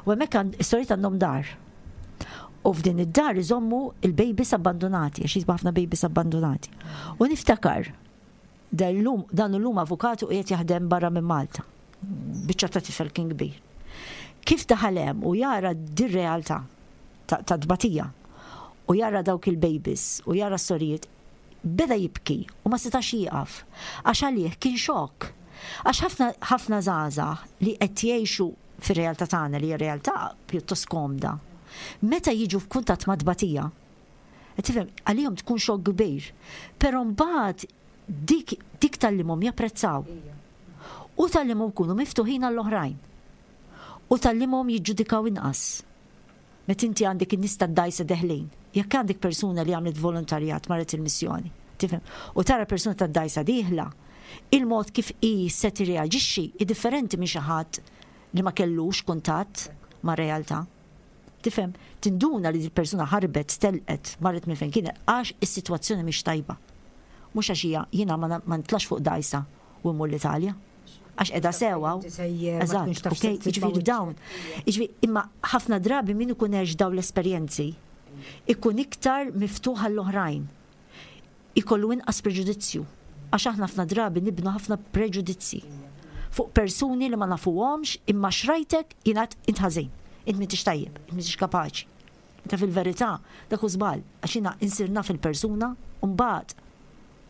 U hemmhekk is-sorijiet għandhom dar. U f'din id-dar iżommu il-babies abbandonati, għax jisbu ħafna babies abbandonati. U niftakar, dan illum avukatu qiegħed jaħdem barra minn Malta. Biċċa ta' tifel kien kbir. Kif daħal hemm u jara dir-realtà ta' tbatija u jara dawk il-babies u jara s-sorijiet, beda jibki u ma setax jieqaf. Għax għalih kien xokk. Għax ħafna ħafna żgħażagħ li qed jgħixu fir-realtà tagħna li hija realtà pjuttost komda. Meta jiġu f'kuntatt ma' tbatija, tifhem, għalihom tkun xokk kbir. Però mbagħad dik, dik tgħallimhom japprezzaw. U tgħallimhom kunu miftuħin għall-oħrajn. U tgħallimhom jiġġudikaw inqas. Meta inti għandek in-nies tad-dajsa deħlin, jekk għandek persuna li għamlet volontarjat marret il-missjoni, tifhem, u tara persuna tad-dajsa dieħla, il-mod kif hi se tirreaġixxi hi differenti minn xi ħadd li ma kellux kuntatt ma' realtà. Tifhem, tinduna li persuna ħarbet, telqet, marret minn fejn kienet għax is-sitwazzjoni mhix tajba. Mhux għax hija jiena ma nitlax fuq dajsa u mmur l-Italja. Għax qiegħda sewwa. Eżatt, ok, jiġifieri dawn. Jiġifieri imma ħafna drabi min ikun għex dawn l-esperjenzi ikun iktar miftuħ għall-oħrajn. Ikollu inqas preġudizzju. Għax aħna ħafna drabi nibnu ħafna preġudizzi fuq persuni li ma nafuhomx imma xrajtek jingħad int ħażin, int m'intix tajjeb, int m'intix kapaċi. Meta fil-verità dak hu żball għax jiena insir naf il-persuna u mbagħad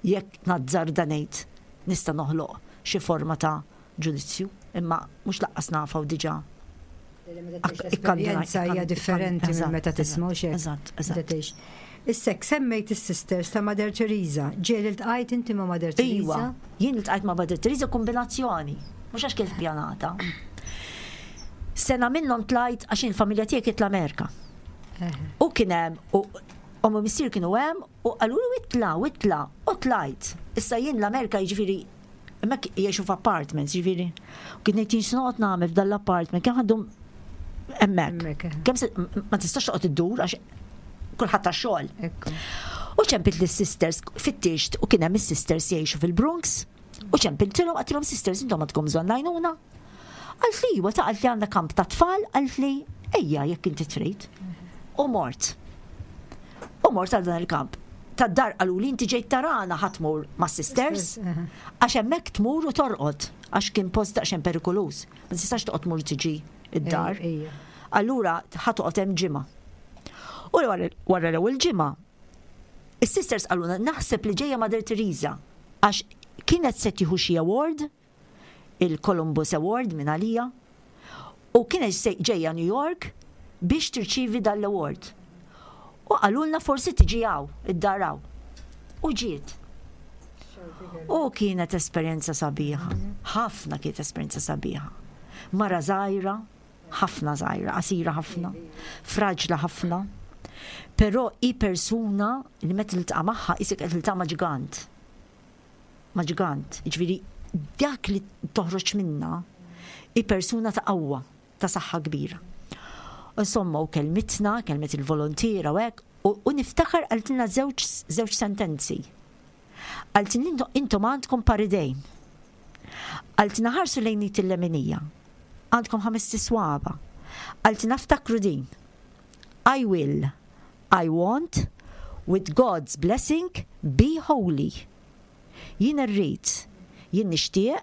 jekk nazzarda ngħid nista' noħloq xi forma ta' ġudizzju, imma mhux lanqas nafa u diġà. Esperjenza hija differenti minn meta tisma' xejn. Eżatt, eżatt. Issa semmejt is-sisters ta' Mother Teresa. Ġieli ltqajt inti ma' Mother Teresa? Iwa, jien iltqajt ma' Mother Teresa kombinazzjoni, mhux għax kienet pjanata. Sena minnhom tlajt għax il-familja tiegħi kienet l-Amerika. U kien hemm u ommi u missier kienu hemm u qalu itla, itla, u tlajt. Issa jien l-Amerika jiġifieri hemmhekk jgħixu f'apartments, jiġifieri. U kien ngħid jien x'noqgħod nagħmel f'dan l-apartment, kemm għandhom hemmhekk. Kemm ma tistax toqgħod iddur għax kulħadd tax-xogħol. U ċempilt lis-sisters fittixt u kien hemm is-sisters jgħixu fil-Bronx u ċempiltilhom għedtilhom sisters intom għandkom bżonn l-għajnuna. Qaltli iwa ta' qaltli għandna kamp ta' tfal, qaltli ejja jekk inti trid. U mort. U mort għal dan il-kamp. Tad-dar qalu li inti ġejt tarana ħa tmur ma' sisters, għax hemmhekk tmur u torqod, għax kien post daqsxejn perikoluż. Ma tistax toqgħod tmur tiġi id-dar. Allura ħa toqgħod hemm ġimgħa. U wara l-ewwel ġimgħa, is-sisters qaluna naħseb li ġejja Mother Teresa għax kienet se tieħu xi award, il-Columbus Award minn għalija, u kienet ġejja New York biex tirċivi dal-award. U qalulna forsi tiġi hawn, id-dar hawn. U ġiet. U kienet esperjenza sabiħa. Ħafna kienet esperjenza sabiħa. Mara żgħira, ħafna żgħira, qasira ħafna, fraġla ħafna. Però hi persuna li meta tiltaqa' magħha isek qed tiltaqa' ma' ġigant. Ma' ġigant. Jiġifieri dak li toħroġ minna hi persuna ta' qawwa, ta' saħħa kbira. Insomma, u kelmitna, kelmet il-volontiera u hekk, u niftakar qaltilna żewġ żewġ sentenzi. Qaltilna intom għandkom par idejn. Qaltilna ħarsu lejn id il-leminija. Għandkom ħames swaba. Qaltilna ftakru din. I will, I want, with God's blessing, be holy. Jien irrid, jien nixtieq,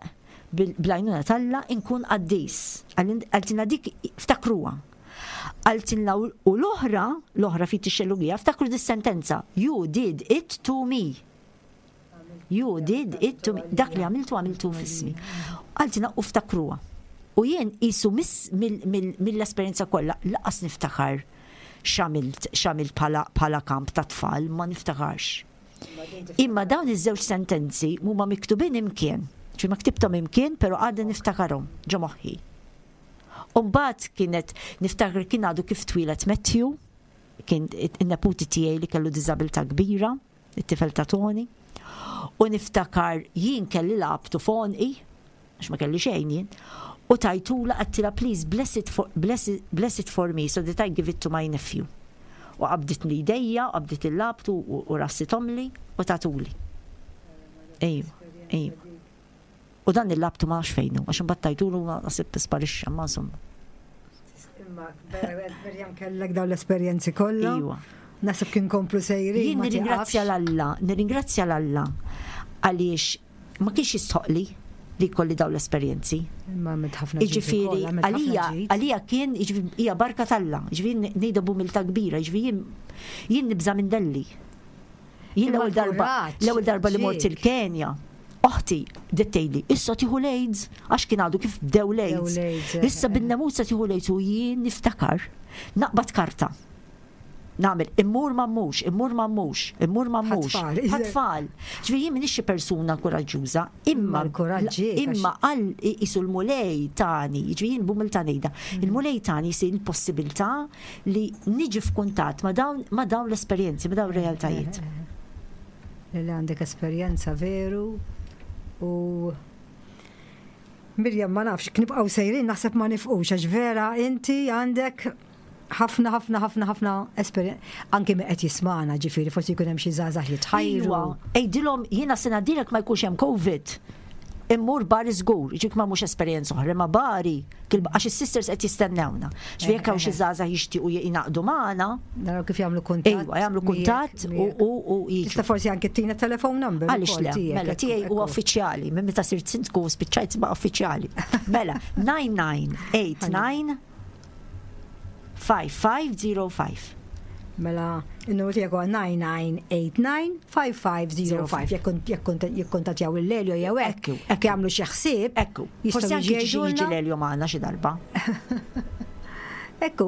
bl-għajnuna t'Alla inkun qaddis. Qaltilna dik ftakruha. Qaltilna u l-oħra, l-oħra fit ix-xellugija, ftakru dis-sentenza. You did it to me. You did it to me. Dak li għamiltu għamiltu f'ismi. Qaltilna u ftakruha. U jien qisu mill-esperjenza kollha lanqas niftakar x'għamilt x'għamilt bħala kamp ta' tfal, ma niftakarx. Imma dawn iż-żewġ sentenzi huma miktubin imkien. Ġi ma ktibthom imkien, però għadni niftakarhom ġo moħħi. Umbagħad kienet niftakar kien għadu kif twieled Matthew, kien in-neputi tiegħi li kellu diżabilità kbira, it-tifel ta' Tony. U niftakar jien kelli labtu f'għonqi, għax ma kelli xejn jien, u tajtula għedtilha please bless it for, bless it, bless it for me so that I give it to my nephew. U qabditli idejja, u qabdit il-labtu u rassithomli u tatuli. Ejwa, ejwa. U dan il-labtu ma nafx fejnu, għax imbagħad tajtulu ma nasib sparixxa, ma insomma. Imma Mirjam kellek dawn l-esperjenzi kollha. Iwa. Nasib kien komplu sejri. Jien nirringrazzja 'l Alla, nirringrazzja 'l Alla għaliex ma kienx jistħoqli li jkolli dawn l-esperjenzi. Imma għamilt ħafna ġid Jiġifieri, ukoll, għamilt ħafna għalija, ġid. għalija kien, jiġifieri, hija barka t'Alla, jiġifieri ngħidha b'umiltà kbira, jiġifieri jien jien nibża' minn delli. Jien Imma l-ewwel darba, l-kuraġġ l-ewwel darba li mort ġiek. il-Kenja, oħti tgħidli, issa tieħu l-AIDS, għax kien għadu kif bdew l-AIDS. Bdew l-AIDS, eh, Issa eh. bin-nemusa tieħu l-AIDS u jien niftakar, naqbad karta. Nagħmel, immur ma mmurx, immur ma mmurx, immur ma mmurx. Ħatfal. Ħatfal. Ġifieri jien m'iniex xi persuna kuraġġuża, imma Imma l-kuraġġ ġiek, għax- imma għal qisu l-Mulej tani, ġifieri jien b'umiltà ngħidha, Mm. il-Mulej tani jsir il-possibilità li niġi f'kuntatt ma' dawn ma' dawn l-esperjenzi, ma' dawn ir-realtajiet. Li għandek esperjenza veru u Mirjam ma nafx, nibqgħu sejrin naħseb ma nifqux għax vera inti għandek ħafna ħafna ħafna ħafna esperjenza anki min qed jismagħna ġifieri forsi jkun hemm xi żgħażagħ jitħajru. Iwa, Għidilhom jiena sena dilek ma jkunx hemm COVID. Immur Bari żgur, ġik ma mhux esperjenza oħra, ma Bari, għax is-sisters qed jistennewna. Ġifieri jekk hawn xi żgħażagħ jixtiequ jingħaqdu magħna, Naraw kif jagħmlu kuntatt. Ejwa, jagħmlu kuntatt u miegħek, u u jiġu. Tista' forsi anke tina telephone number. Għaliex ukoll le, tiegħek, mela ekku, tiegħi huwa ekku. uffiċjali, minn meta sirt sindku spiċċajt ma uffiċjali. Mela, nine nine eight nine five five zero five. Mela, il-numru tiegħek huwa nine nine eight nine five five zero five. Jekk jekk jikkuntattjaw il-Lelio jew hekk, Ekku, jekk jagħmlu xi ħsieb, Ekku, jistgħu forsi anki jiġu jiġi jgħidulna. Lelio magħna xi darba. Ekku,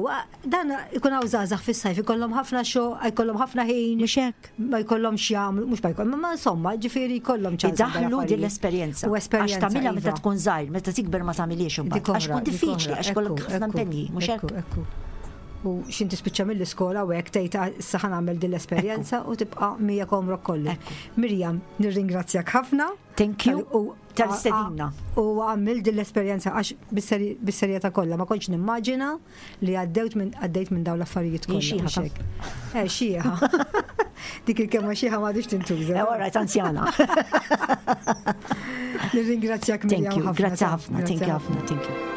dan ikun hawn żgħażagħ fis-sajf ikollhom ħafna xogħol, jkollhom ħafna ħin, Mhux hekk. ma jkollhomx jagħmlu, mhux ma jkollhom, ma insomma, ġifieri jkollhom ċans. Idaħlu din l-esperjenza. U esperjenza. Għax tagħmilha meta iva. tkun żgħir, meta tikber ma tagħmilhiex imbagħad. Dik Għax oħra, tkun dik diffiċli, oħra, għax kollok ekku, ħafna ekku, impenji, mhux hekk? Ekku, ekku. U x'ħin tispiċċa mill-iskola u hekk tgħid "Ah, issa ħa nagħmel din l-esperjenza" u tibqa' miegħek għomrok kollu. Ekku. Mirjam, nirringrazzjak ħafna. Thank you. U Tal-istedina. U għamil din l-esperjenza għax bis-seri- bis-serjetà kollha ma kontx nimmaġina li għaddejt minn għaddejt minn dawn l-affarijiet kollha. Jien xieħa mhux hekk. Eh, xieħa. Dik il-kelma xieħa m'għadix tintuża. Eh, all right, anzjana. Nirringrazzjak Thank Mirjam you, ħafna. grazzi ħafna, thank you Grazzi ħafna, thank you. Thank